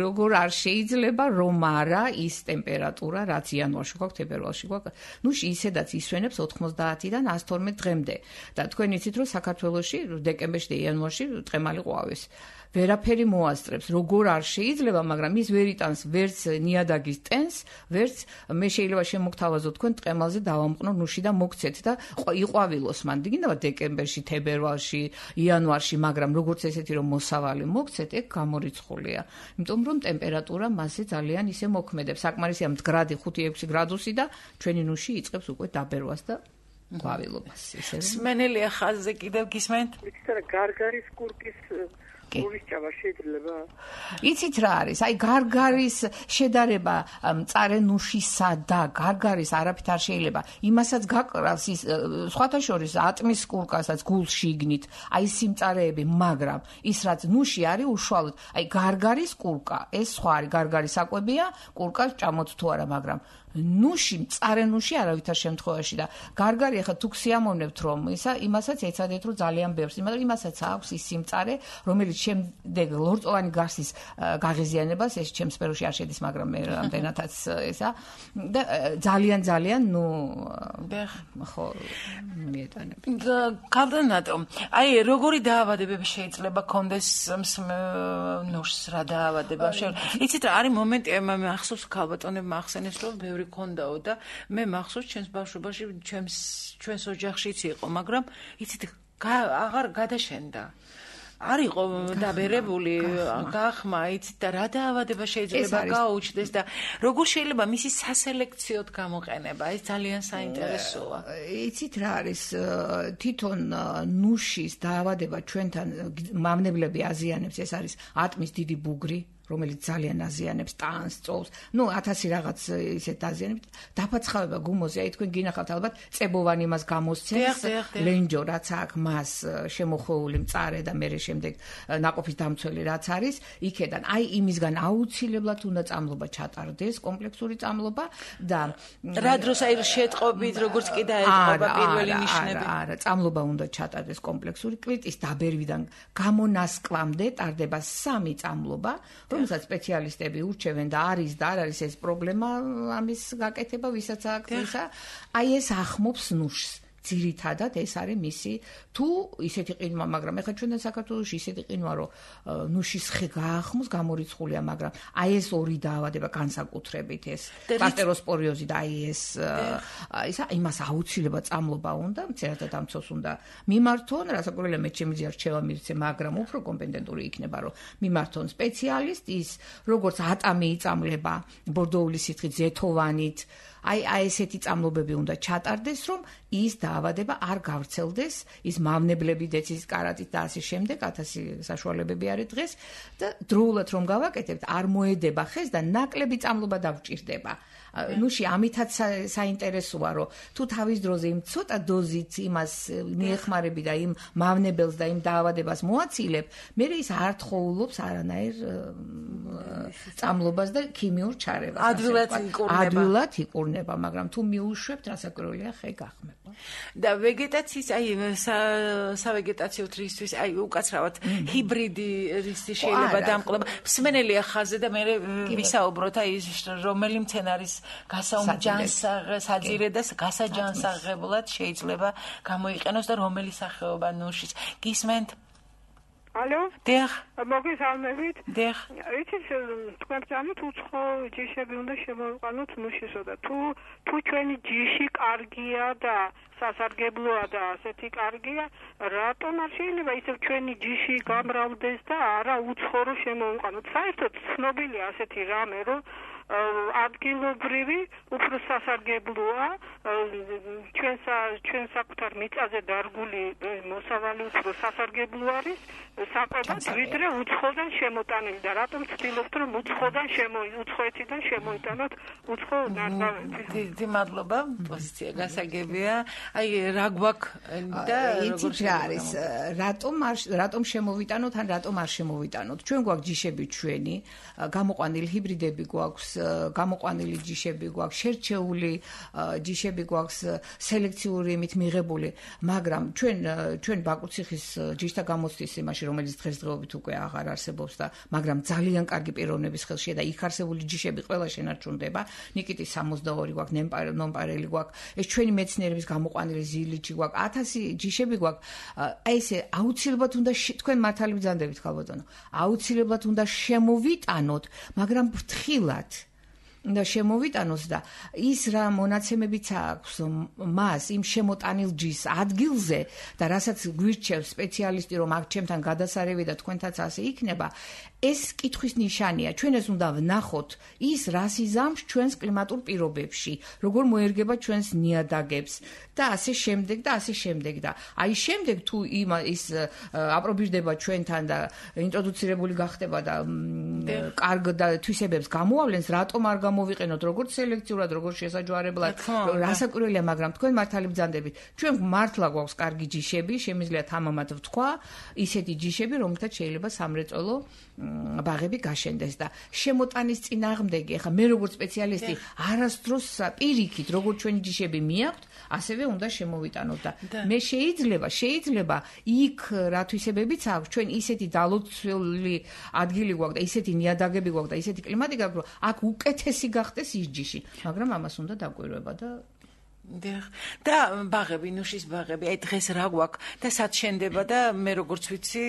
როგორ არ შეიძლება რომ არა ის ტემპერატურა რაც იანვარში გვაქვს თებერვალში გვაქვს ნუში ისედაც ისვენებს 90-დან 112 დღემდე და თქვენ იცით რომ საქართველოში დეკემბერში და იანვარში ტყემალი ყვავის ვერაფერი მოასწრებს როგორ არ შეიძლება მაგრამ ის ვერ იტანს ვერც ნიადაგის ტენს ვერც მე შეიძლება შემოგთავაზო თქვენ ტყემალზე დავამყნო ნუში და მოგცეთ და იყვავილოს მან დგინდა დეკემბერში თებერვალში იანვარში მაგრამ როგორც ესეთი რომ მოსავალი მოგცეთ ეგ გამორიცხულია იმიტომ რომ ტემპერატურა მასზე ძალიან ისე მოქმედებს საკმარისია მდგრადი 5-6 გრადუსი და ჩვენი ნუში იწყებს უკვე დაბერვას და ყვავილობას ისე სმენელია ხაზზე კიდევ გისმენთ ვიცით რა გარგარის კურკის მოვისჭამა შეიძლება იცით რა არის აი გარგარის შედარება მწარე ნუშისა და გარგარის არაფრით არ შეიძლება იმასაც გაკრავს ის სხვათა შორის ატმის კურკასაც გულში იგნით აი სიმწარეები მაგრამ ის რაც ნუში არის უშუალოდ აი გარგარის კურკა ეს სხვა არის გარგარის საკვებია კურკას ჭამოთ თუ არა მაგრამ ნუში მწარე ნუში არავითარ შემთხვევაში და გარგარი ახლა თუ ქსიამოვნებთ რომ ისა იმასაც ეცადეთ რომ ძალიან ბევრს მაგრამ იმასაც აქვს ის სიმწარე რომელიც შემდეგ ლორწოვანი გარსის გაღიზიანებას ეს ჩემს სფეროში არ შედის მაგრამ მე რამდენადაც ესა და ძალიან ნუ ხო მიეტანები კალდანატო აი როგორი დაავადებები შეიძლება კონდეს ნუშს რა დაავადება იცით რა არის მომენტი მე ახსოვს ქალბატონებმა ახსენეს რომ ბევრი ქონდაო და მე მახსოვს ჩვენს ბავშვობაში ჩვენს ოჯახშიც იყო, მაგრამ იცით აღარ გადაშენდა. არ იყო დაბერებული გახმა, იცით და რა დაავადება შეიძლება გაუჩნდეს და როგორ შეიძლება მისი სასელექციოდ გამოყენება, ეს ძალიან საინტერესოა. იცით რა არის თვითონ ნუშის დაავადება ჩვენთან მავნებლები აზიანებს, ეს არის ატმის დიდი ბუგრი, რომელიც ძალიან აზიანებს ტანს, წოვს. 1000 რაღაც ისეთ აზიანებს. დაფაცხავება გუმოზე, აი თქვენ გინახავთ ალბათ წებოვანი მას გამოსცემს, ლენჯო რაც აქვს მას შემოხვეული მწარე და მერე შემდეგ ნაყოფის დამცველი რაც არის, იქედან აი იმისგან აუცილებლად უნდა წამლობა ჩატარდეს, კომპლექსური წამლობა და რა დროს აი შეტყობით როგორც კი დაეთყობა პირველი ნიშნები. არა, წამლობა უნდა ჩატარდეს კომპლექსური კვირტის დაბერვიდან გამონასკლამდე ტარდება 3 წამლობა. რომელსაც სპეციალისტები ურჩევენ და არის და არ არის ეს პრობლემა ამის გაკეთება, ვისაც აქვს ისა, აი ეს ახმობს ნუშს. ძირითადად ეს არის მისი თუ ისეთი ყინვა, მაგრამ ეხლა ჩვენთან საქართველოში ისეთი ყინვა, რომ ნუშის ხე გაახმოს, გამორიცხულია, მაგრამ აი ეს ორი დაავადება განსაკუთრებით ეს პასტეროსპორიოზი და აი ეს ისა იმას აუცილებლად წამლობა უნდა, მცირეთა დამცოს უნდა მიმართონ, რასაკვირველია მე ჩემი ძია რჩევა მივცე, მაგრამ უფრო კომპეტენტური იქნება, რომ მიმართონ სპეციალისტ ის როგორც ატამი იწამლება ბორდოული სითხით ზეთოვანით აი ესეთი წამლობები უნდა ჩატარდეს, რომ ის დაავადება არ გავრცელდეს, ის მავნებლები დეცის კარატით და ასე შემდეგ 1000 საშუალებები არის დღეს და დროულად რომ გავაკეთებთ, არ მოედება ხეს და ნაკლები წამლობა დაგვჭირდება. ნუში ამითაც საინტერესოა, რომ თუ თავის დროზე იმ ცოტა დოზით იმას მიეხმარები და იმ მავნებელს და იმ დაავადებას მოაცილებ, მე ის არ თხოვლობს არანაირ წამლობას და ქიმიურ ჩარევას. ადვილად იკურნება, მაგრამ თუ მიუშვებთ, რასაკვირველია ხე გახმება. და ვეგეტაციის აი სავეგეტაციო რისთვის აი უკაცრავად ჰიბრიდი რის შეიძლება დამყოლება. მსმენელია ხაზზე და მე ვისაუბროთ აი რომელი მცენარის გასაუმჯანსაღე და გასაჯანსაღებლად შეიძლება გამოიყენოს და რომელი სახეობა ნუშის. გისმენთ? ალო? დიახ. მოგესალმებით? დიახ. იცით, თქვენ ძალიან უცხო ჯიშები უნდა შემოვიყვანოთ ნუშისო და თუ ჩვენი ჯიში კარგია და სასარგებლოა და ასეთი კარგია, რატომ არ შეიძლება ისევ ჩვენი ჯიში გამრავლდეს და არა უცხო შემოვიყვანოთ? საერთოდ ცნობილია ასეთი რამე, რომ ადგილობრივი უფრო სასარგებლოა ჩვენ საკუთარ მიწაზე დარგული მოსავალი უფრო სასარგებლო არის საკვებად ვიდრე უცხოდან შემოტანილი და რატომ ვცდილობთ რომ უცხოეთიდან შემოიტანოთ უცხო ნარგავები. დიდი მადლობა, პოზიცია გასაგებია. აი რა გვაქვს და როგორ არის რატომ შემოვიტანოთ ან რატომ არ შემოვიტანოთ? ჩვენ გვაქვს ჯიშები ჩვენი, გამოყვანილი ჰიბრიდები გვაქვს, გამოყვანილი ჯიშები გვაქვს, შერჩეული ჯიშები გვაქვს, სელექციური იმით მიღებული, მაგრამ ჩვენ ბაკუციხის ჯიშთა გამოცდის იმაში, რომელიც დღესდღეობით უკვე აღარ არსებობს და მაგრამ ძალიან კარგი პიროვნების ხელშია და იქ არსებული ჯიშები ყველა შენარჩუნდება. ნიკიტის 62 გვაქვს, ნომპარელი გვაქვს, ეს ჩვენი მეცნიერების გამოყვანილი ზილიჩი გვაქვს, 1000 ჯიშები გვაქვს. აი ესე აუცილებლად უნდა თქვენ მართალი ბრძანდებით ხალბატონო. აუცილებლად უნდა შემოვიტანოთ, მაგრამ ფრთხილად და შემოვიტანოს და ის რა მონაცემებიც აქვს მას იმ შემოტანილ ჯის ადგილზე და რასაც გვირჩევს სპეციალისტი რომ აქ ჩემთან გადასარევი და თქვენთაც ასე იქნება, ეს კითხვის ნიშანია. ჩვენ ეს უნდა ვნახოთ ის რას იზამს ჩვენს კლიმატურ პირობებში, როგორ მოერგება ჩვენს ნიადაგებს და ასე შემდეგ და ასე შემდეგ და აი შემდეგ თუ ის აპრობირდება ჩვენთან და ინტროდუცირებული გახდება და კარგ და თვისებებს გამოავლენს, რატომ არ გამოვიყენოთ როგორც სელექციურად, როგორც შესაჯვარებლად, რასაკვირველია, მაგრამ თქვენ მართალი ბრძანდებით, ჩვენ მართლა გვაქვს კარგი ჯიშები, შემიძლია თამამად ვთქვა, ისეთი ჯიშები, რომელთაც შეიძლება სამრეწველო ბაღები გაშენდეს და შემოტანის წინააღმდეგი, ახლა მე როგორც სპეციალისტი არასდროს პირიქით, როგორც ჩვენი ჯიშები მიაქვთ, ასევე უნდა შემოვიტანოთ და მე შეიძლება იქ რა თვისებებიც აქვს, ჩვენ ისეთი დალოცველი ადგილი გვაქვს და ისეთი ნიადაგები გვაქვს და ისეთი კლიმატი გვაქვს, რომ აქ უკეთესი გახდეს ის ჯიში, მაგრამ ამას უნდა დაკვირვება და და ბაღები, ნუშის ბაღები, აი დღეს რა გვაქვს და სად შენდება და მე როგორც ვიცი,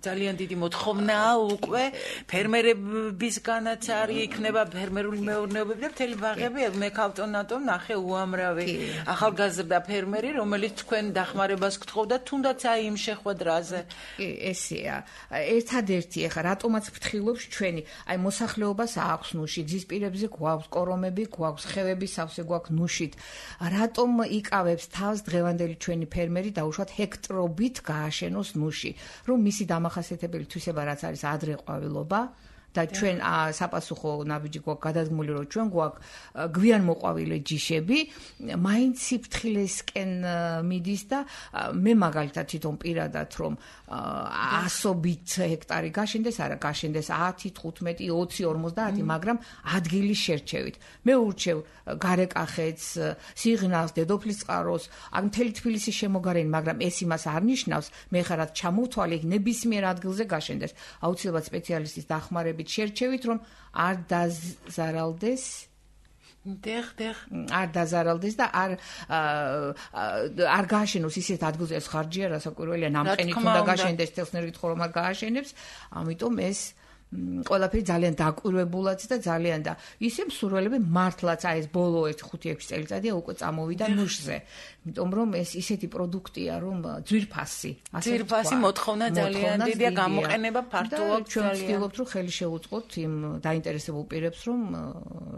ძალიან დიდი მოთხოვნაა უკვე ფერმერებისგანაც არის იქნება ფერმერული მეურნეობები და მთელი ბაღები, მე ქალტონატომ ნახე უამრავი ახალგაზრდა ფერმერი, რომელიც თქვენ დახმარებას გთხოვდა, თუნდაც აი იმ შეხვედრაზე. კი, ესეა. ერთადერთი ახლა რატომაც ფრთხილობს ჩვენი, აი მოსახლეობას აქვს ნუში, გზის პირებზე გვაქვს კორომები, გვაქვს ხევები, სავსე გვაქვს ნუშით. რატომ იკავებს თავს დღევანდელი ჩვენი ფერმერი დაუშვათ ჰექტრობით გააშენოს ნუში, რომ მისი დამახასიათებელი თვისება რაც არის ადრე ყვავილობა და ჩვენ საპასუხო ნაბიჯი გვაქვს გადადგმული, რომ ჩვენ გვაქვს გვიან მოყვავილე ჯიშები, მაინც სიფრთხილესკენ მიდის და მე მაგალითად თვითონ პირადად რომ 100-ობით ჰექტარი გაშენდეს, არა გაშენდეს 10, 15, 20, 50, მაგრამ ადგილის შერჩევით. მე ურჩევ გარეკახეთს, სიღნალს, დედოფლის წყაროს, ან მთელი თბილისის შემოგარენი, მაგრამ ეს იმას არ ნიშნავს, მე ხარად ჩამოვთვალე ნებისმიერ ადგილზე გაშენდეს. აუცილებლად სპეციალისტის დახმარებით შერჩევით, რომ არ დაზარალდეს არ დაზარალდეს და არ გააშენოს ისეთ ადგილზე, ეს ხარჯია, რასაკვირველია, ნამყენით უნდა გააშენდეს, თელსნერგით ხომ არ გააშენებს, ამიტომ ეს ყველაფერი ძალიან დაკვირვებულაც და ძალიან და ისე მსურველები მართლაც აი ეს ბოლო 1-5-6 წელიწადია უკვე წამოვიდა ნუშზე. იმიტომ რომ ეს ისეთი პროდუქტია, რომ ძვირფასი მოთხოვნა ძალიან დიდია, გამოყენება ფართოა. ჩვენ ვცდილობთ, რომ ხელი შევუწყოთ იმ დაინტერესებულ პირებს, რომ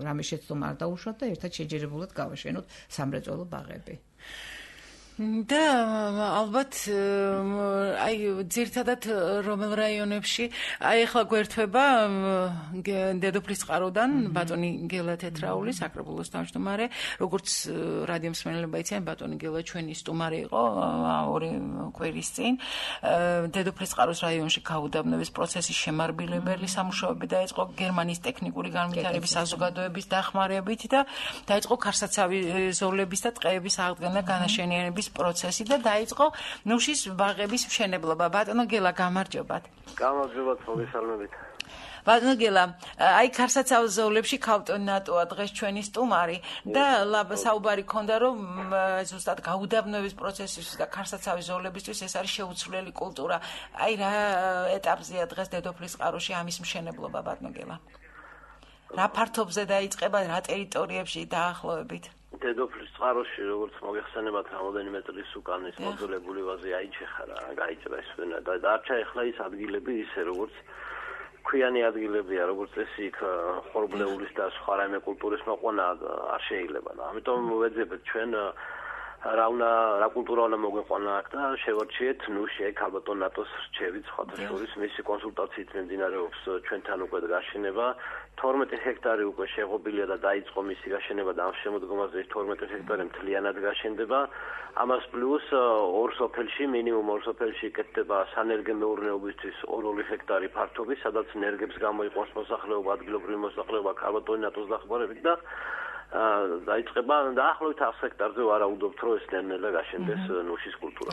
რამე შეცდომა არ დაუშვათ და ერთად შეჯერებულად გავაშენოთ სამრეწველო ბაღები. და ალბათ აი ძირთადად რომელ რაიონებში აი ახლა გვერდება დედოფლის წყაროდან ბატონი გელა თეთრაული საკრებულოს თავმჯდომარე, როგორც რადიო მსმენელებმა იციან, ბატონი გელა ჩვენი სტუმარი იყო 2 კვირის წინ. დედოფლის წყაროს რაიონში გაუდაბნოების პროცესის შემარბილებელი სამუშაოები დაიწყო გერმანიის ტექნიკური განვითარების საზოგადოების დახმარებით და დაიწყო ქარსაცავი ზოლების და ტყეების აღდგენა განაშენიანების პროცესი და დაიწყო ნუშის ბაღების მშენებლობა. ბატონო გელა, გამარჯობათ. გამარჯობათ, მოგესალმებით. ბატონო გელა, აი ქარსაცავ ზოლებში ქალტონატოა დღეს ჩვენი სტუმარი და საუბარი ქონდა, რომ ზუსტად გაუდაბნოების პროცესის და ქარსაცავი ზოლებისთვის ეს არის შეუცვლელი კულტურა. აი რა ეტაპზეა დღეს დედოფლის წყაროში ამის მშენებლობა, ბატონო გელა? რა ფართობზე დაიწყება, რა ტერიტორიებში დაახლოებით? დედოფლის წყაროში, როგორც მოგეხსენებათ, რამოდენიმე წლის უკან ის მოძველებული ვაზი აიჩეხა რა, გაიჭრა ეს და დარჩა ახლა ის ადგილები ისე, როგორც ქვიანი ადგილებია, როგორც წესი იქ ხორბლეულის და სხვა რაიმე კულტურის მოყვანა არ შეიძლება და ამიტომ ვეძებთ ჩვენ რა კულტურა უნდა მოგვეყვანა აქ და შევარჩიეთ ნუში ეგ ალბათ ნატოს რჩევით სხვათა შორის მისი კონსულტაციით მიმდინარეობს ჩვენთან უკვე გაშენება 12 ჰექტარი უკვე შეღობილია და დაიწყო მისი გაშენება და ამ შემოდგომაზე 12 ჰექტარი მთლიანად გაშენდება ამას პლუს ორ სოფელში მინიმუმ ორ სოფელში იკეთება სანერგე მეურნეობისთვის 2 ჰექტარი ფართობი სადაც ნერგებს გამოიყვანს მოსახლეობა ადგილობრივი მოსახლეობა ალბათ ნატოს დახმარებით და დაიწყება დაახლოებით 100 ჰექტარზე ვარაუდობთ რომ ეს ნელ-ნელა გაშენდეს ნუშის კულტურა.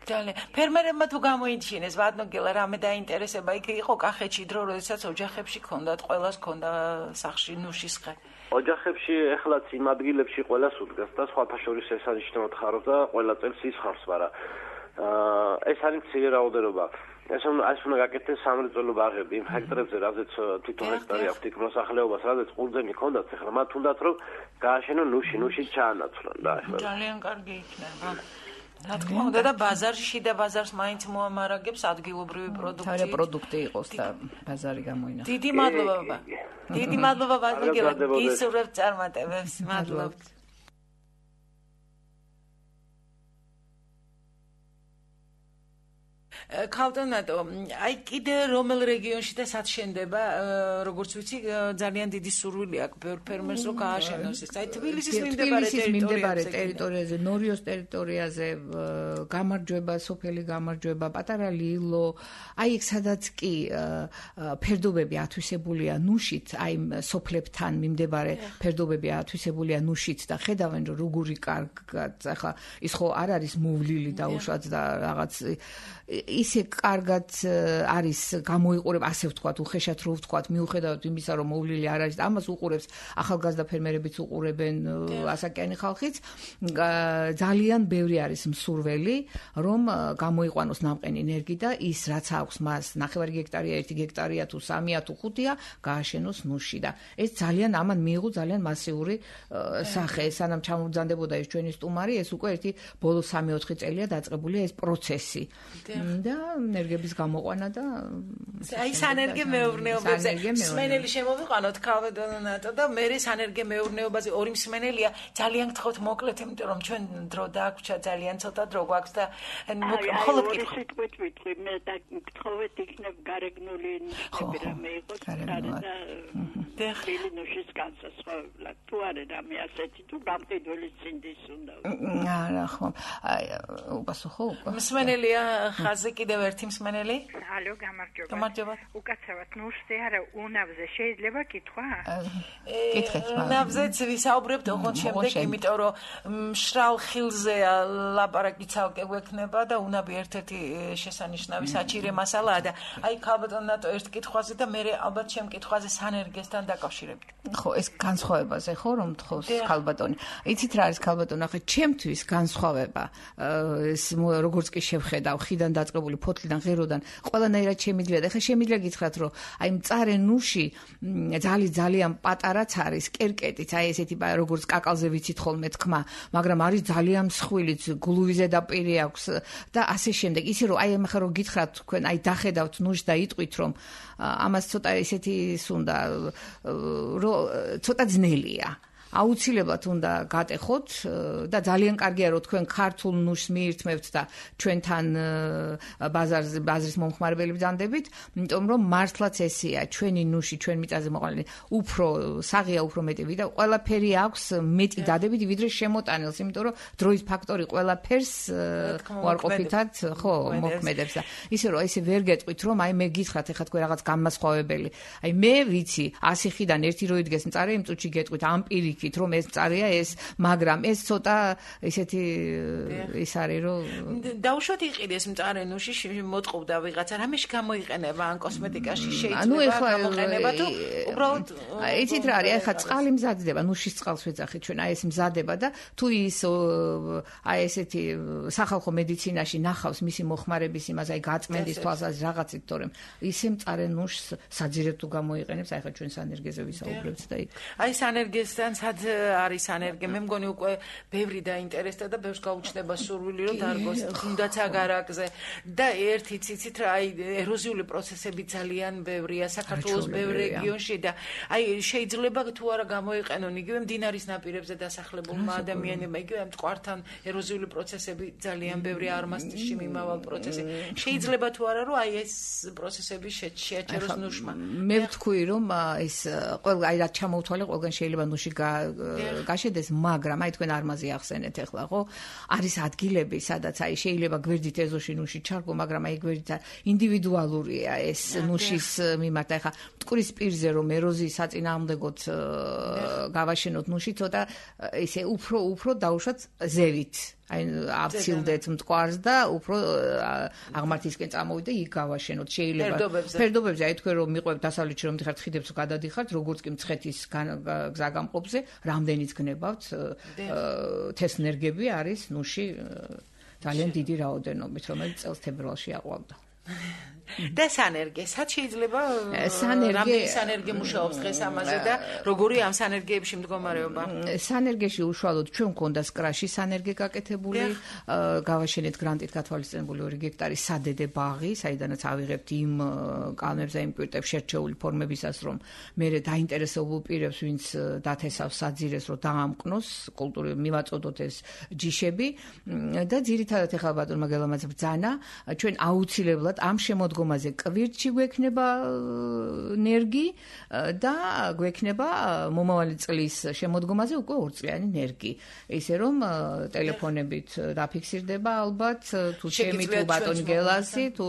ძალიან. ფერმერებმა თუ გამოიჩინეს ბატონო გელა რამე დაინტერესება იქ იყო კახეთში დრო როდესაც ოჯახებში ქონდათ ყველას ქონდა სახში ნუშის ხე. ოჯახებში ეხლაც იმ ადგილებში ყველას უდგას და სხვათა შორის ეს არის შემოთხაროს და ყველა წელს ისხავს, მაგრამ ეს არის მცირე რაოდენობა. ეს უნდა გაკეთდეს სამრეწველო ბაღები იმ ჰექტარებზე, რაზეც თვითონ ჰექტარი აქვს იქ მოსახლეობას, რაზეც ყურძენი ქონდათ, ეხლა მათ უნდათ რომ გააშენონ ნუში ჩაანაცვლონ და ეხლა ძალიან კარგი იქნება. რა თქმა უნდა და ბაზარში და ბაზარს მაინც მოამარაგებს ადგილობრივი პროდუქცია. პროდუქტი იყოს და ბაზარი გამოინახოს. დიდი მადლობა. დიდი მადლობა ბატონო გელა. გისურვებთ წარმატებებს. მადლობთ. ქალტონატო, აი კიდე რომელ რეგიონში და სად შენდება, როგორც ვიცი, ძალიან დიდი სურვილი აქვს ბევრ ფერმერს რომ გააშენოს ეს. აი თბილისის მიმდებარე ტერიტორიაზე, ნორიოს ტერიტორიაზე, გამარჯვება, სოფელი გამარჯვება, პატარა ლილო, აი იქ სადაც კი ფერდობები ათვისებულია ნუშით, აი სოფლებთან მიმდებარე ფერდობები ათვისებულია ნუშით და ხედავენ რომ როგორი კარგად, ახლა ის ხო არ არის მოვლილი დაუშვათ და რაღაც ისე კარგად არის გამოიყურება, ასე ვთქვათ, უხეშად რო ვთქვათ, მიუხედავად იმისა, რომ მოვლილი არ არის, ამას უყურებს ახალგაზრდა ფერმერებიც უყურებენ, ასაკიანი ხალხიც, ძალიან ბევრი არის მსურველი, რომ გამოიყვანოს ნამყენი ენერგი და ის რაც აქვს მას 9 გექტარია, 1 გექტარია თუ 3-ია თუ 5-ია, გააშენოს ნუში და ეს ძალიან ამან მიიღო ძალიან მასიური სახე. სანამ ჩამოვძანდებოდა ეს ჩვენი სტუმარი, ეს უკვე ერთი ბოლო 3-4 წელია დაწყებულია ეს პროცესი. და ენერგების გამოყვანა და აი სანერგე მეურნეობაზე მსმენელი შემოვიყვანოთ ქალბატონო და მე სანერგე მეურნეობაზე ორი მსმენელია ძალიან გთხოვთ მოკლედ, იმიტომ რომ ჩვენ დრო დაგვჭა ძალიან ცოტა დრო გვაქვს და მხოლოდ კითხვა მე და გთხოვეთ იქნებ გარეგნული ნიშნები რამე იყოს და ხილი ნუშის განსასწრებლა თუ არა რამე ასეთი თუ გამყიდველი ცინდის უნდა არა ხო უპასუხო მსმენელია ხაზი კიდევ ერთი მსმენელი ალო გამარჯობა უკაცრავად ნუშზე არა უნავზე შეიძლება კითხვა კითხეთ უნავზეც ვისაუბრებთ ოღონდ შემდეგ იმიტომ რომ მშრალ ხილზეა ლაპარაკი ცალკე გვექნება და უნავი ერთ-ერთი შესანიშნავი საჭირო მასალაა და აი ქალბატონო ერთ კითხვაზე და მე ალბათ ჩემ კითხვაზე სანერგესთან დაკავშირებით ხო ეს განსხვავებაზე ხო რომ თხოვს ქალბატონი იცით რა არის ქალბატონო ახლა ჩემთვის განსხვავება ეს როგორც კი შევხედავ ხიდან დაწყებული ფოთლიდან ღეროდან ყველანაირად შემიძლია და ახლა შემიძლია გითხრათ რომ აი მწარე ნუში ძალიან პატარაც არის კერკეტიც აი ესეთი როგორც კაკალზე ვიცით ხოლმე თქმა მაგრამ არის ძალიან მსხვილიც გლუვიზე დაპირი აქვს და ასე შემდეგ ისე რომ აი ახლა რომ გითხრათ თქვენ აი დახედავთ ნუშს და იტყვით რომ ამას ცოტა ესეთი სუნდა რომ ცოტა ძნელია აუცილებლად უნდა გატეხოთ და ძალიან კარგია რომ თქვენ ქართულ ნუშს მიირთმევთ და ჩვენთან ბაზრის მომხმარებელი ბრძანდებით, იმიტომ რომ მართლაც ესეა, ჩვენი ნუში, ჩვენ მიწაზე მოყოლილი უფრო საღია, უფრო მეტი და ყველაფერი აქვს მეტი დადებითი ვიდრე შემოტანილს, იმიტომ რომ დროის ფაქტორი ყველაფერს უარყოფითად ხო მოქმედებს და ისე რომ ესე ვერ გეტყვით რომ აი მე გითხრათ ეხლა თქვენ რაღაც გამასხვავებელი. აი მე ვიცი 100 ხიდან ერთი რო იდგეს მწარე იმ წუთში გეტყვით ამ პირიქით რომ ეს წარია ეს მაგრამ ეს ცოტა ესეთი ის არის რომ დაუშვათ იყიდეს მწარე ნუში მოტყობდა ვიღაცა რამეში გამოიყენება ან კოსმეტიკაში შეიძლება გამოყენება თუ უბრალოდ იცით რა არის ახლა წყალი მზადდება ნუშის წყალს ვეძახით ჩვენ აი ეს მზადება და თუ ის აი ესეთი სახალხო მედიცინაში ნახავს მისი მოხმარების იმას აი გაწმენდის თვალსაზრისით რაღაცით თორემ ისე მწარე ნუშს საძირედ თუ გამოიყენებს აი ხა ჩვენ სანერგეზე ვისაუბრებთ და იქ აი სანერგესთან არის ანერგია მე მგონი უკვე ბევრი დაინტერესდა და ბევრს გაუჩნდება სურვილი რომ დარგოს თუნდაც აგარაკზე და ერთი ციცით რა აი ეროზიული პროცესები ძალიან ბევრია საქართველოს ბევრ რეგიონში და აი შეიძლება თუ არა გამოიყენონ იგივე მდინარის ნაპირებზე დასახლებულმა ადამიანებმა იგივე მტკვართან ეროზიული პროცესები ძალიან ბევრი არმასტში მიმავალ პროცესი შეიძლება თუ არა რომ აი ეს პროცესები შეაჩეროს ნუშმა მე ვთქვი რომ ეს ყველა აი რა ჩამოვთვალე ყველგან შეიძლება ნუში გაშედეს, მაგრამ აი თქვენ არმაზი ახსენეთ ახლა, ხო? არის ადგილები, სადაც აი შეიძლება გვერდით ეზოში ნუში ჩარგო, მაგრამ აი გვერდით ინდივიდუალურია ეს ნუშის მიმართ. ახლა მტკვრის პირზე რომ ეროზიის საწინააღმდეგოდ გავაშენოთ ნუში, ცოტა ისე უფრო დაუშვათ ზევით. აი აბცილდეთ მტკვარს და უფრო აღმართისკენ წამოვიდე იქ გავაშენოთ შეიძლება ფერდობებზე აი თქვენ რომ მიყვებთ დასავლეთში რომ დიხართ ხიდებს გადადიხართ როგორც კი მცხეთის გზაგამყოფზე რამდენიც გნებავთ თესნერგები არის ნუში ძალიან დიდი რაოდენობით რომელიც წელს თებერვალში აყვავდა და სანერგესაც შეიძლება სანერგე მუშაობს დღეს ამაზე და როგორი ამ სანერგეებში მდგომარეობა სანერგეში უშუალოდ ჩვენ გვქონდა სკრაში სანერგე გაკეთებული გავაშენეთ გრანტით გათვალისწინებული 2 გექტარი სადედე ბაღი საიდანაც ავიღებთ იმ კალმებს და იმ კვირტებს შერჩეული ფორმებისას რომ მე დაინტერესებულ პირებს ვინც დათესავს საძირეს რომ დაამყნოს კულტურული მივაწოდოთ ეს ჯიშები და ძირითადად ეხლა ბატონმა გელამაც ბრძანა ჩვენ აუცილებლად ამ შემოდგომით შემოდგომაზე კვირტში გვექნება ნერგი და გვექნება მომავალი წლის შემოდგომაზე უკვე 2 წლიანი ნერგი. ისე რომ ტელეფონებით დაფიქსირდება ალბათ თუ ჩემი თუ ბატონი გელასი თუ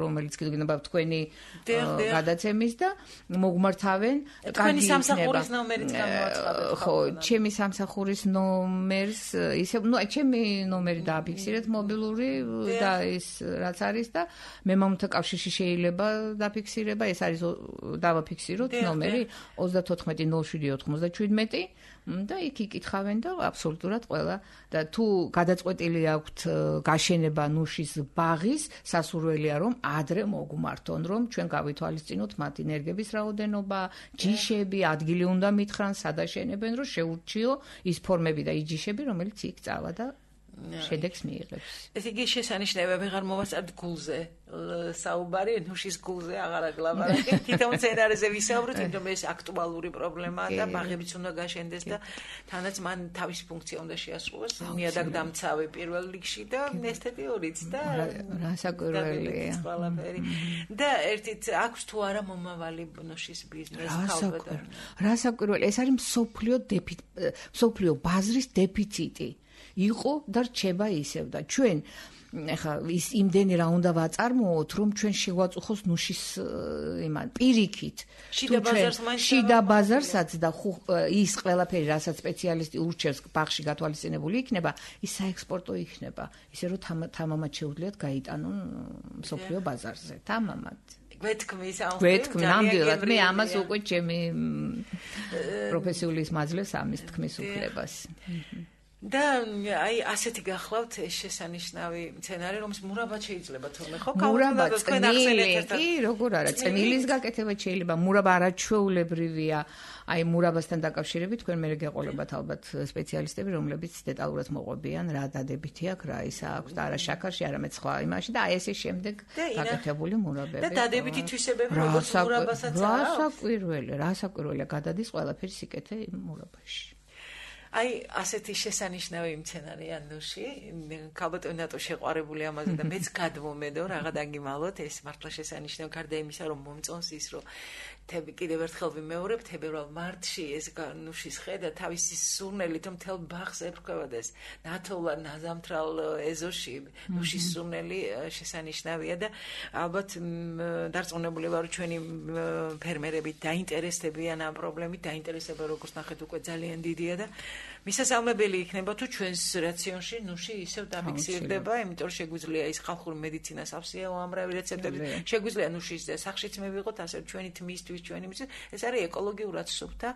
რომელიც გინდა თქვენი გადაცემის და მოგმართავენ თქვენი სამსახურის ნომერიც გამოაცხადეთ. ხო, ჩემი სამსახურის ნომერს ისე ჩემი ნომერი დააფიქსირეთ მობილური და ის რაც არის და მე მამთა კავშირში შეიძლება დაფიქსირება, ეს არის დავაფიქსიროთ ნომერი 340797 და იქ იკითხავენ და აბსოლუტურად ყველა და თუ გადაწყვეტილი აქვთ გაშენება ნუშის ბაღის, სასურველია რომ ადრე მოგმართონ, რომ ჩვენ გავითვალისწინოთ მათი ნერგების რაოდენობა, ჯიშები, ადგილი უნდა მითხრან, სადაშენებენ, რომ შეურჩიო ის ფორმები და ის ჯიშები, რომელიც იქ წავა და შედეგს მიიღებს. ეს იგი შესანიშნავია, ვეღარ მოვასწრებთ გულზე. საუბარი ნუშის გულზე აღარ აგლაპარაკეთ. თითოეულ სცენარეზე ვისაუბროთ, იმიტომ ეს აქტუალური პრობლემაა და ბაღებიც უნდა გაშენდეს და თანაც მან თავის ფუნქცია უნდა შეასრულოს. ნიადაგ დამცავი პირველ რიგში და ესთეტიურიც და რასაკვირველია. და ერთით აქვს თუ არა მომავალი ნუშის ბიზნესი ხალხთან. რასაკვირველია, ეს არის მსოფლიო ბაზრის დეფიციტი. იყო და რჩება ისევ და ჩვენ ეხა ის იმდენი რა უნდა ვაწარმოოთ რომ ჩვენ შევაწუხოს ნუშის იმან პირიქით შიდა ბაზარსაც და ის ყველაფერი რასაც სპეციალისტი ურჩევს ბაღში გათვალისწინებული იქნება ის საექსპორტო იქნება ისე რომ თამამად შეუძლიათ გაიტანონ მსოფლიო ბაზარზე თამამად გვეთქმის ნამდვილად მე ამას უკვე ჩემი პროფესიული მადლებს ამის თქმის უფლებას და აი ასეთი გახლავთ ეს შესანიშნავი სცენარი რომელიც მურაბად შეიძლება თორემ ხო მურაბა კი როგორ არა წნილის გაკეთება შეიძლება მურაბა არაჩვეულებრივია აი მურაბასთან დაკავშირებით თქვენ მე გეყოლებათ ალბათ სპეციალისტები რომლებიც დეტალურად მოყვებიან რა დადებითი აქვს რა ისა აქვს და არა შაქარში არამედ სხვა იმაში და აი ესე შემდეგ გაკეთებული მურაბები და დადებითი თვისებები როგორც მურაბასაც რასაკვირველია გადადის ყველაფერი სიკეთე მურაბაში აი ასეთი შესანიშნავი სცენარია ნუში ქალბატონი ნატო შეყვარებული ამაზე და მეც გადმომედო რაღა დაგიმალოთ ეს მართლა შესანიშნავი გარდა იმისა რომ მომწონს ის რომ კიდევ ერთხელ ვიმეორებ თებერვალ მარტში ეს ნუშის ხედა თავისი სურნელით რომ თელ ბაღს ეფრქვევადეს ნათოლა ნაზამთრალ ეზოში ნუშის სურნელი შესანიშნავია და ალბათ დარწმუნებული ვარ ჩვენი ფერმერები დაინტერესდებიან ამ პრობლემით დაინტერესება როგორც ნახეთ უკვე ძალიან დიდია და მისასალმებელი იქნება თუ ჩვენს რაციონში ნუში ისევ დაფიქსირდება იმიტომ რომ შეგვიძლია ის ხალხური მედიცინას ავსია უამრავი რეცეპტები შეგვიძლია ნუშის სახშიც მივიღოთ ასე ჩვენი თმისთვის ჩვენი მის ეს არის ეკოლოგიურად სუფთა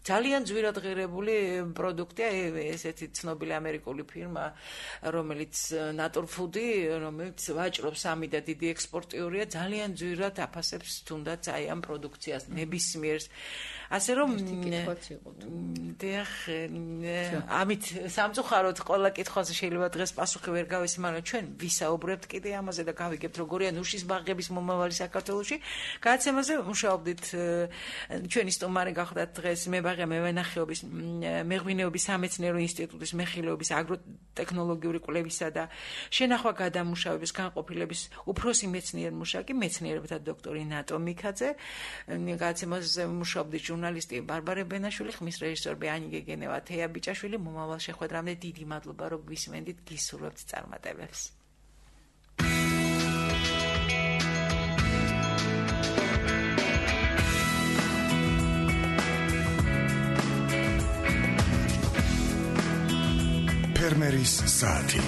ძალიან ძვირად ღირებული პროდუქტია ესეთი ცნობილი ამერიკული ფირმა რომელიც Nature Food-ი რომელიც ვაჭრობს ამი და დიდი ექსპორტიორია ძალიან ძვირად აფასებს თუნდაც აი ამ პროდუქციას ნებისმიერს ასე რომ ამით სამწუხაროდ ყველა კითხვაზე შეიძლება დღეს პასუხი ვერ გავეცი მაგრამ ჩვენ ვისაუბრებთ კიდე ამაზე და გავიგებთ როგორია ნუშის ბაღების მომავალი საქართველოში გადაცემაზე მუშაობდით ჩვენი სტუმარი გახდათ დღეს მებაღე მევენახეობის მეღვინეობის სამეცნიერო ინსტიტუტის მეხილეობის აგროტექნოლოგიური კვლევისა და შენახვა გადამუშავების განყოფილების უფროსი მეცნიერ-მუშაკი მეცნიერებათა დოქტორი ნატო მიქაძე გადაცემაზე მუშაობდით ჟურნალისტი ბარბარე ბენაშვილი ხმის რეჟისორები ანი გეგენევა თეა ბიჭაშვილი მომავალ შეხვედრამდე დიდი მადლობა რომ გვისმენდით გისურვებთ წარმატებებს ფერმერის საათი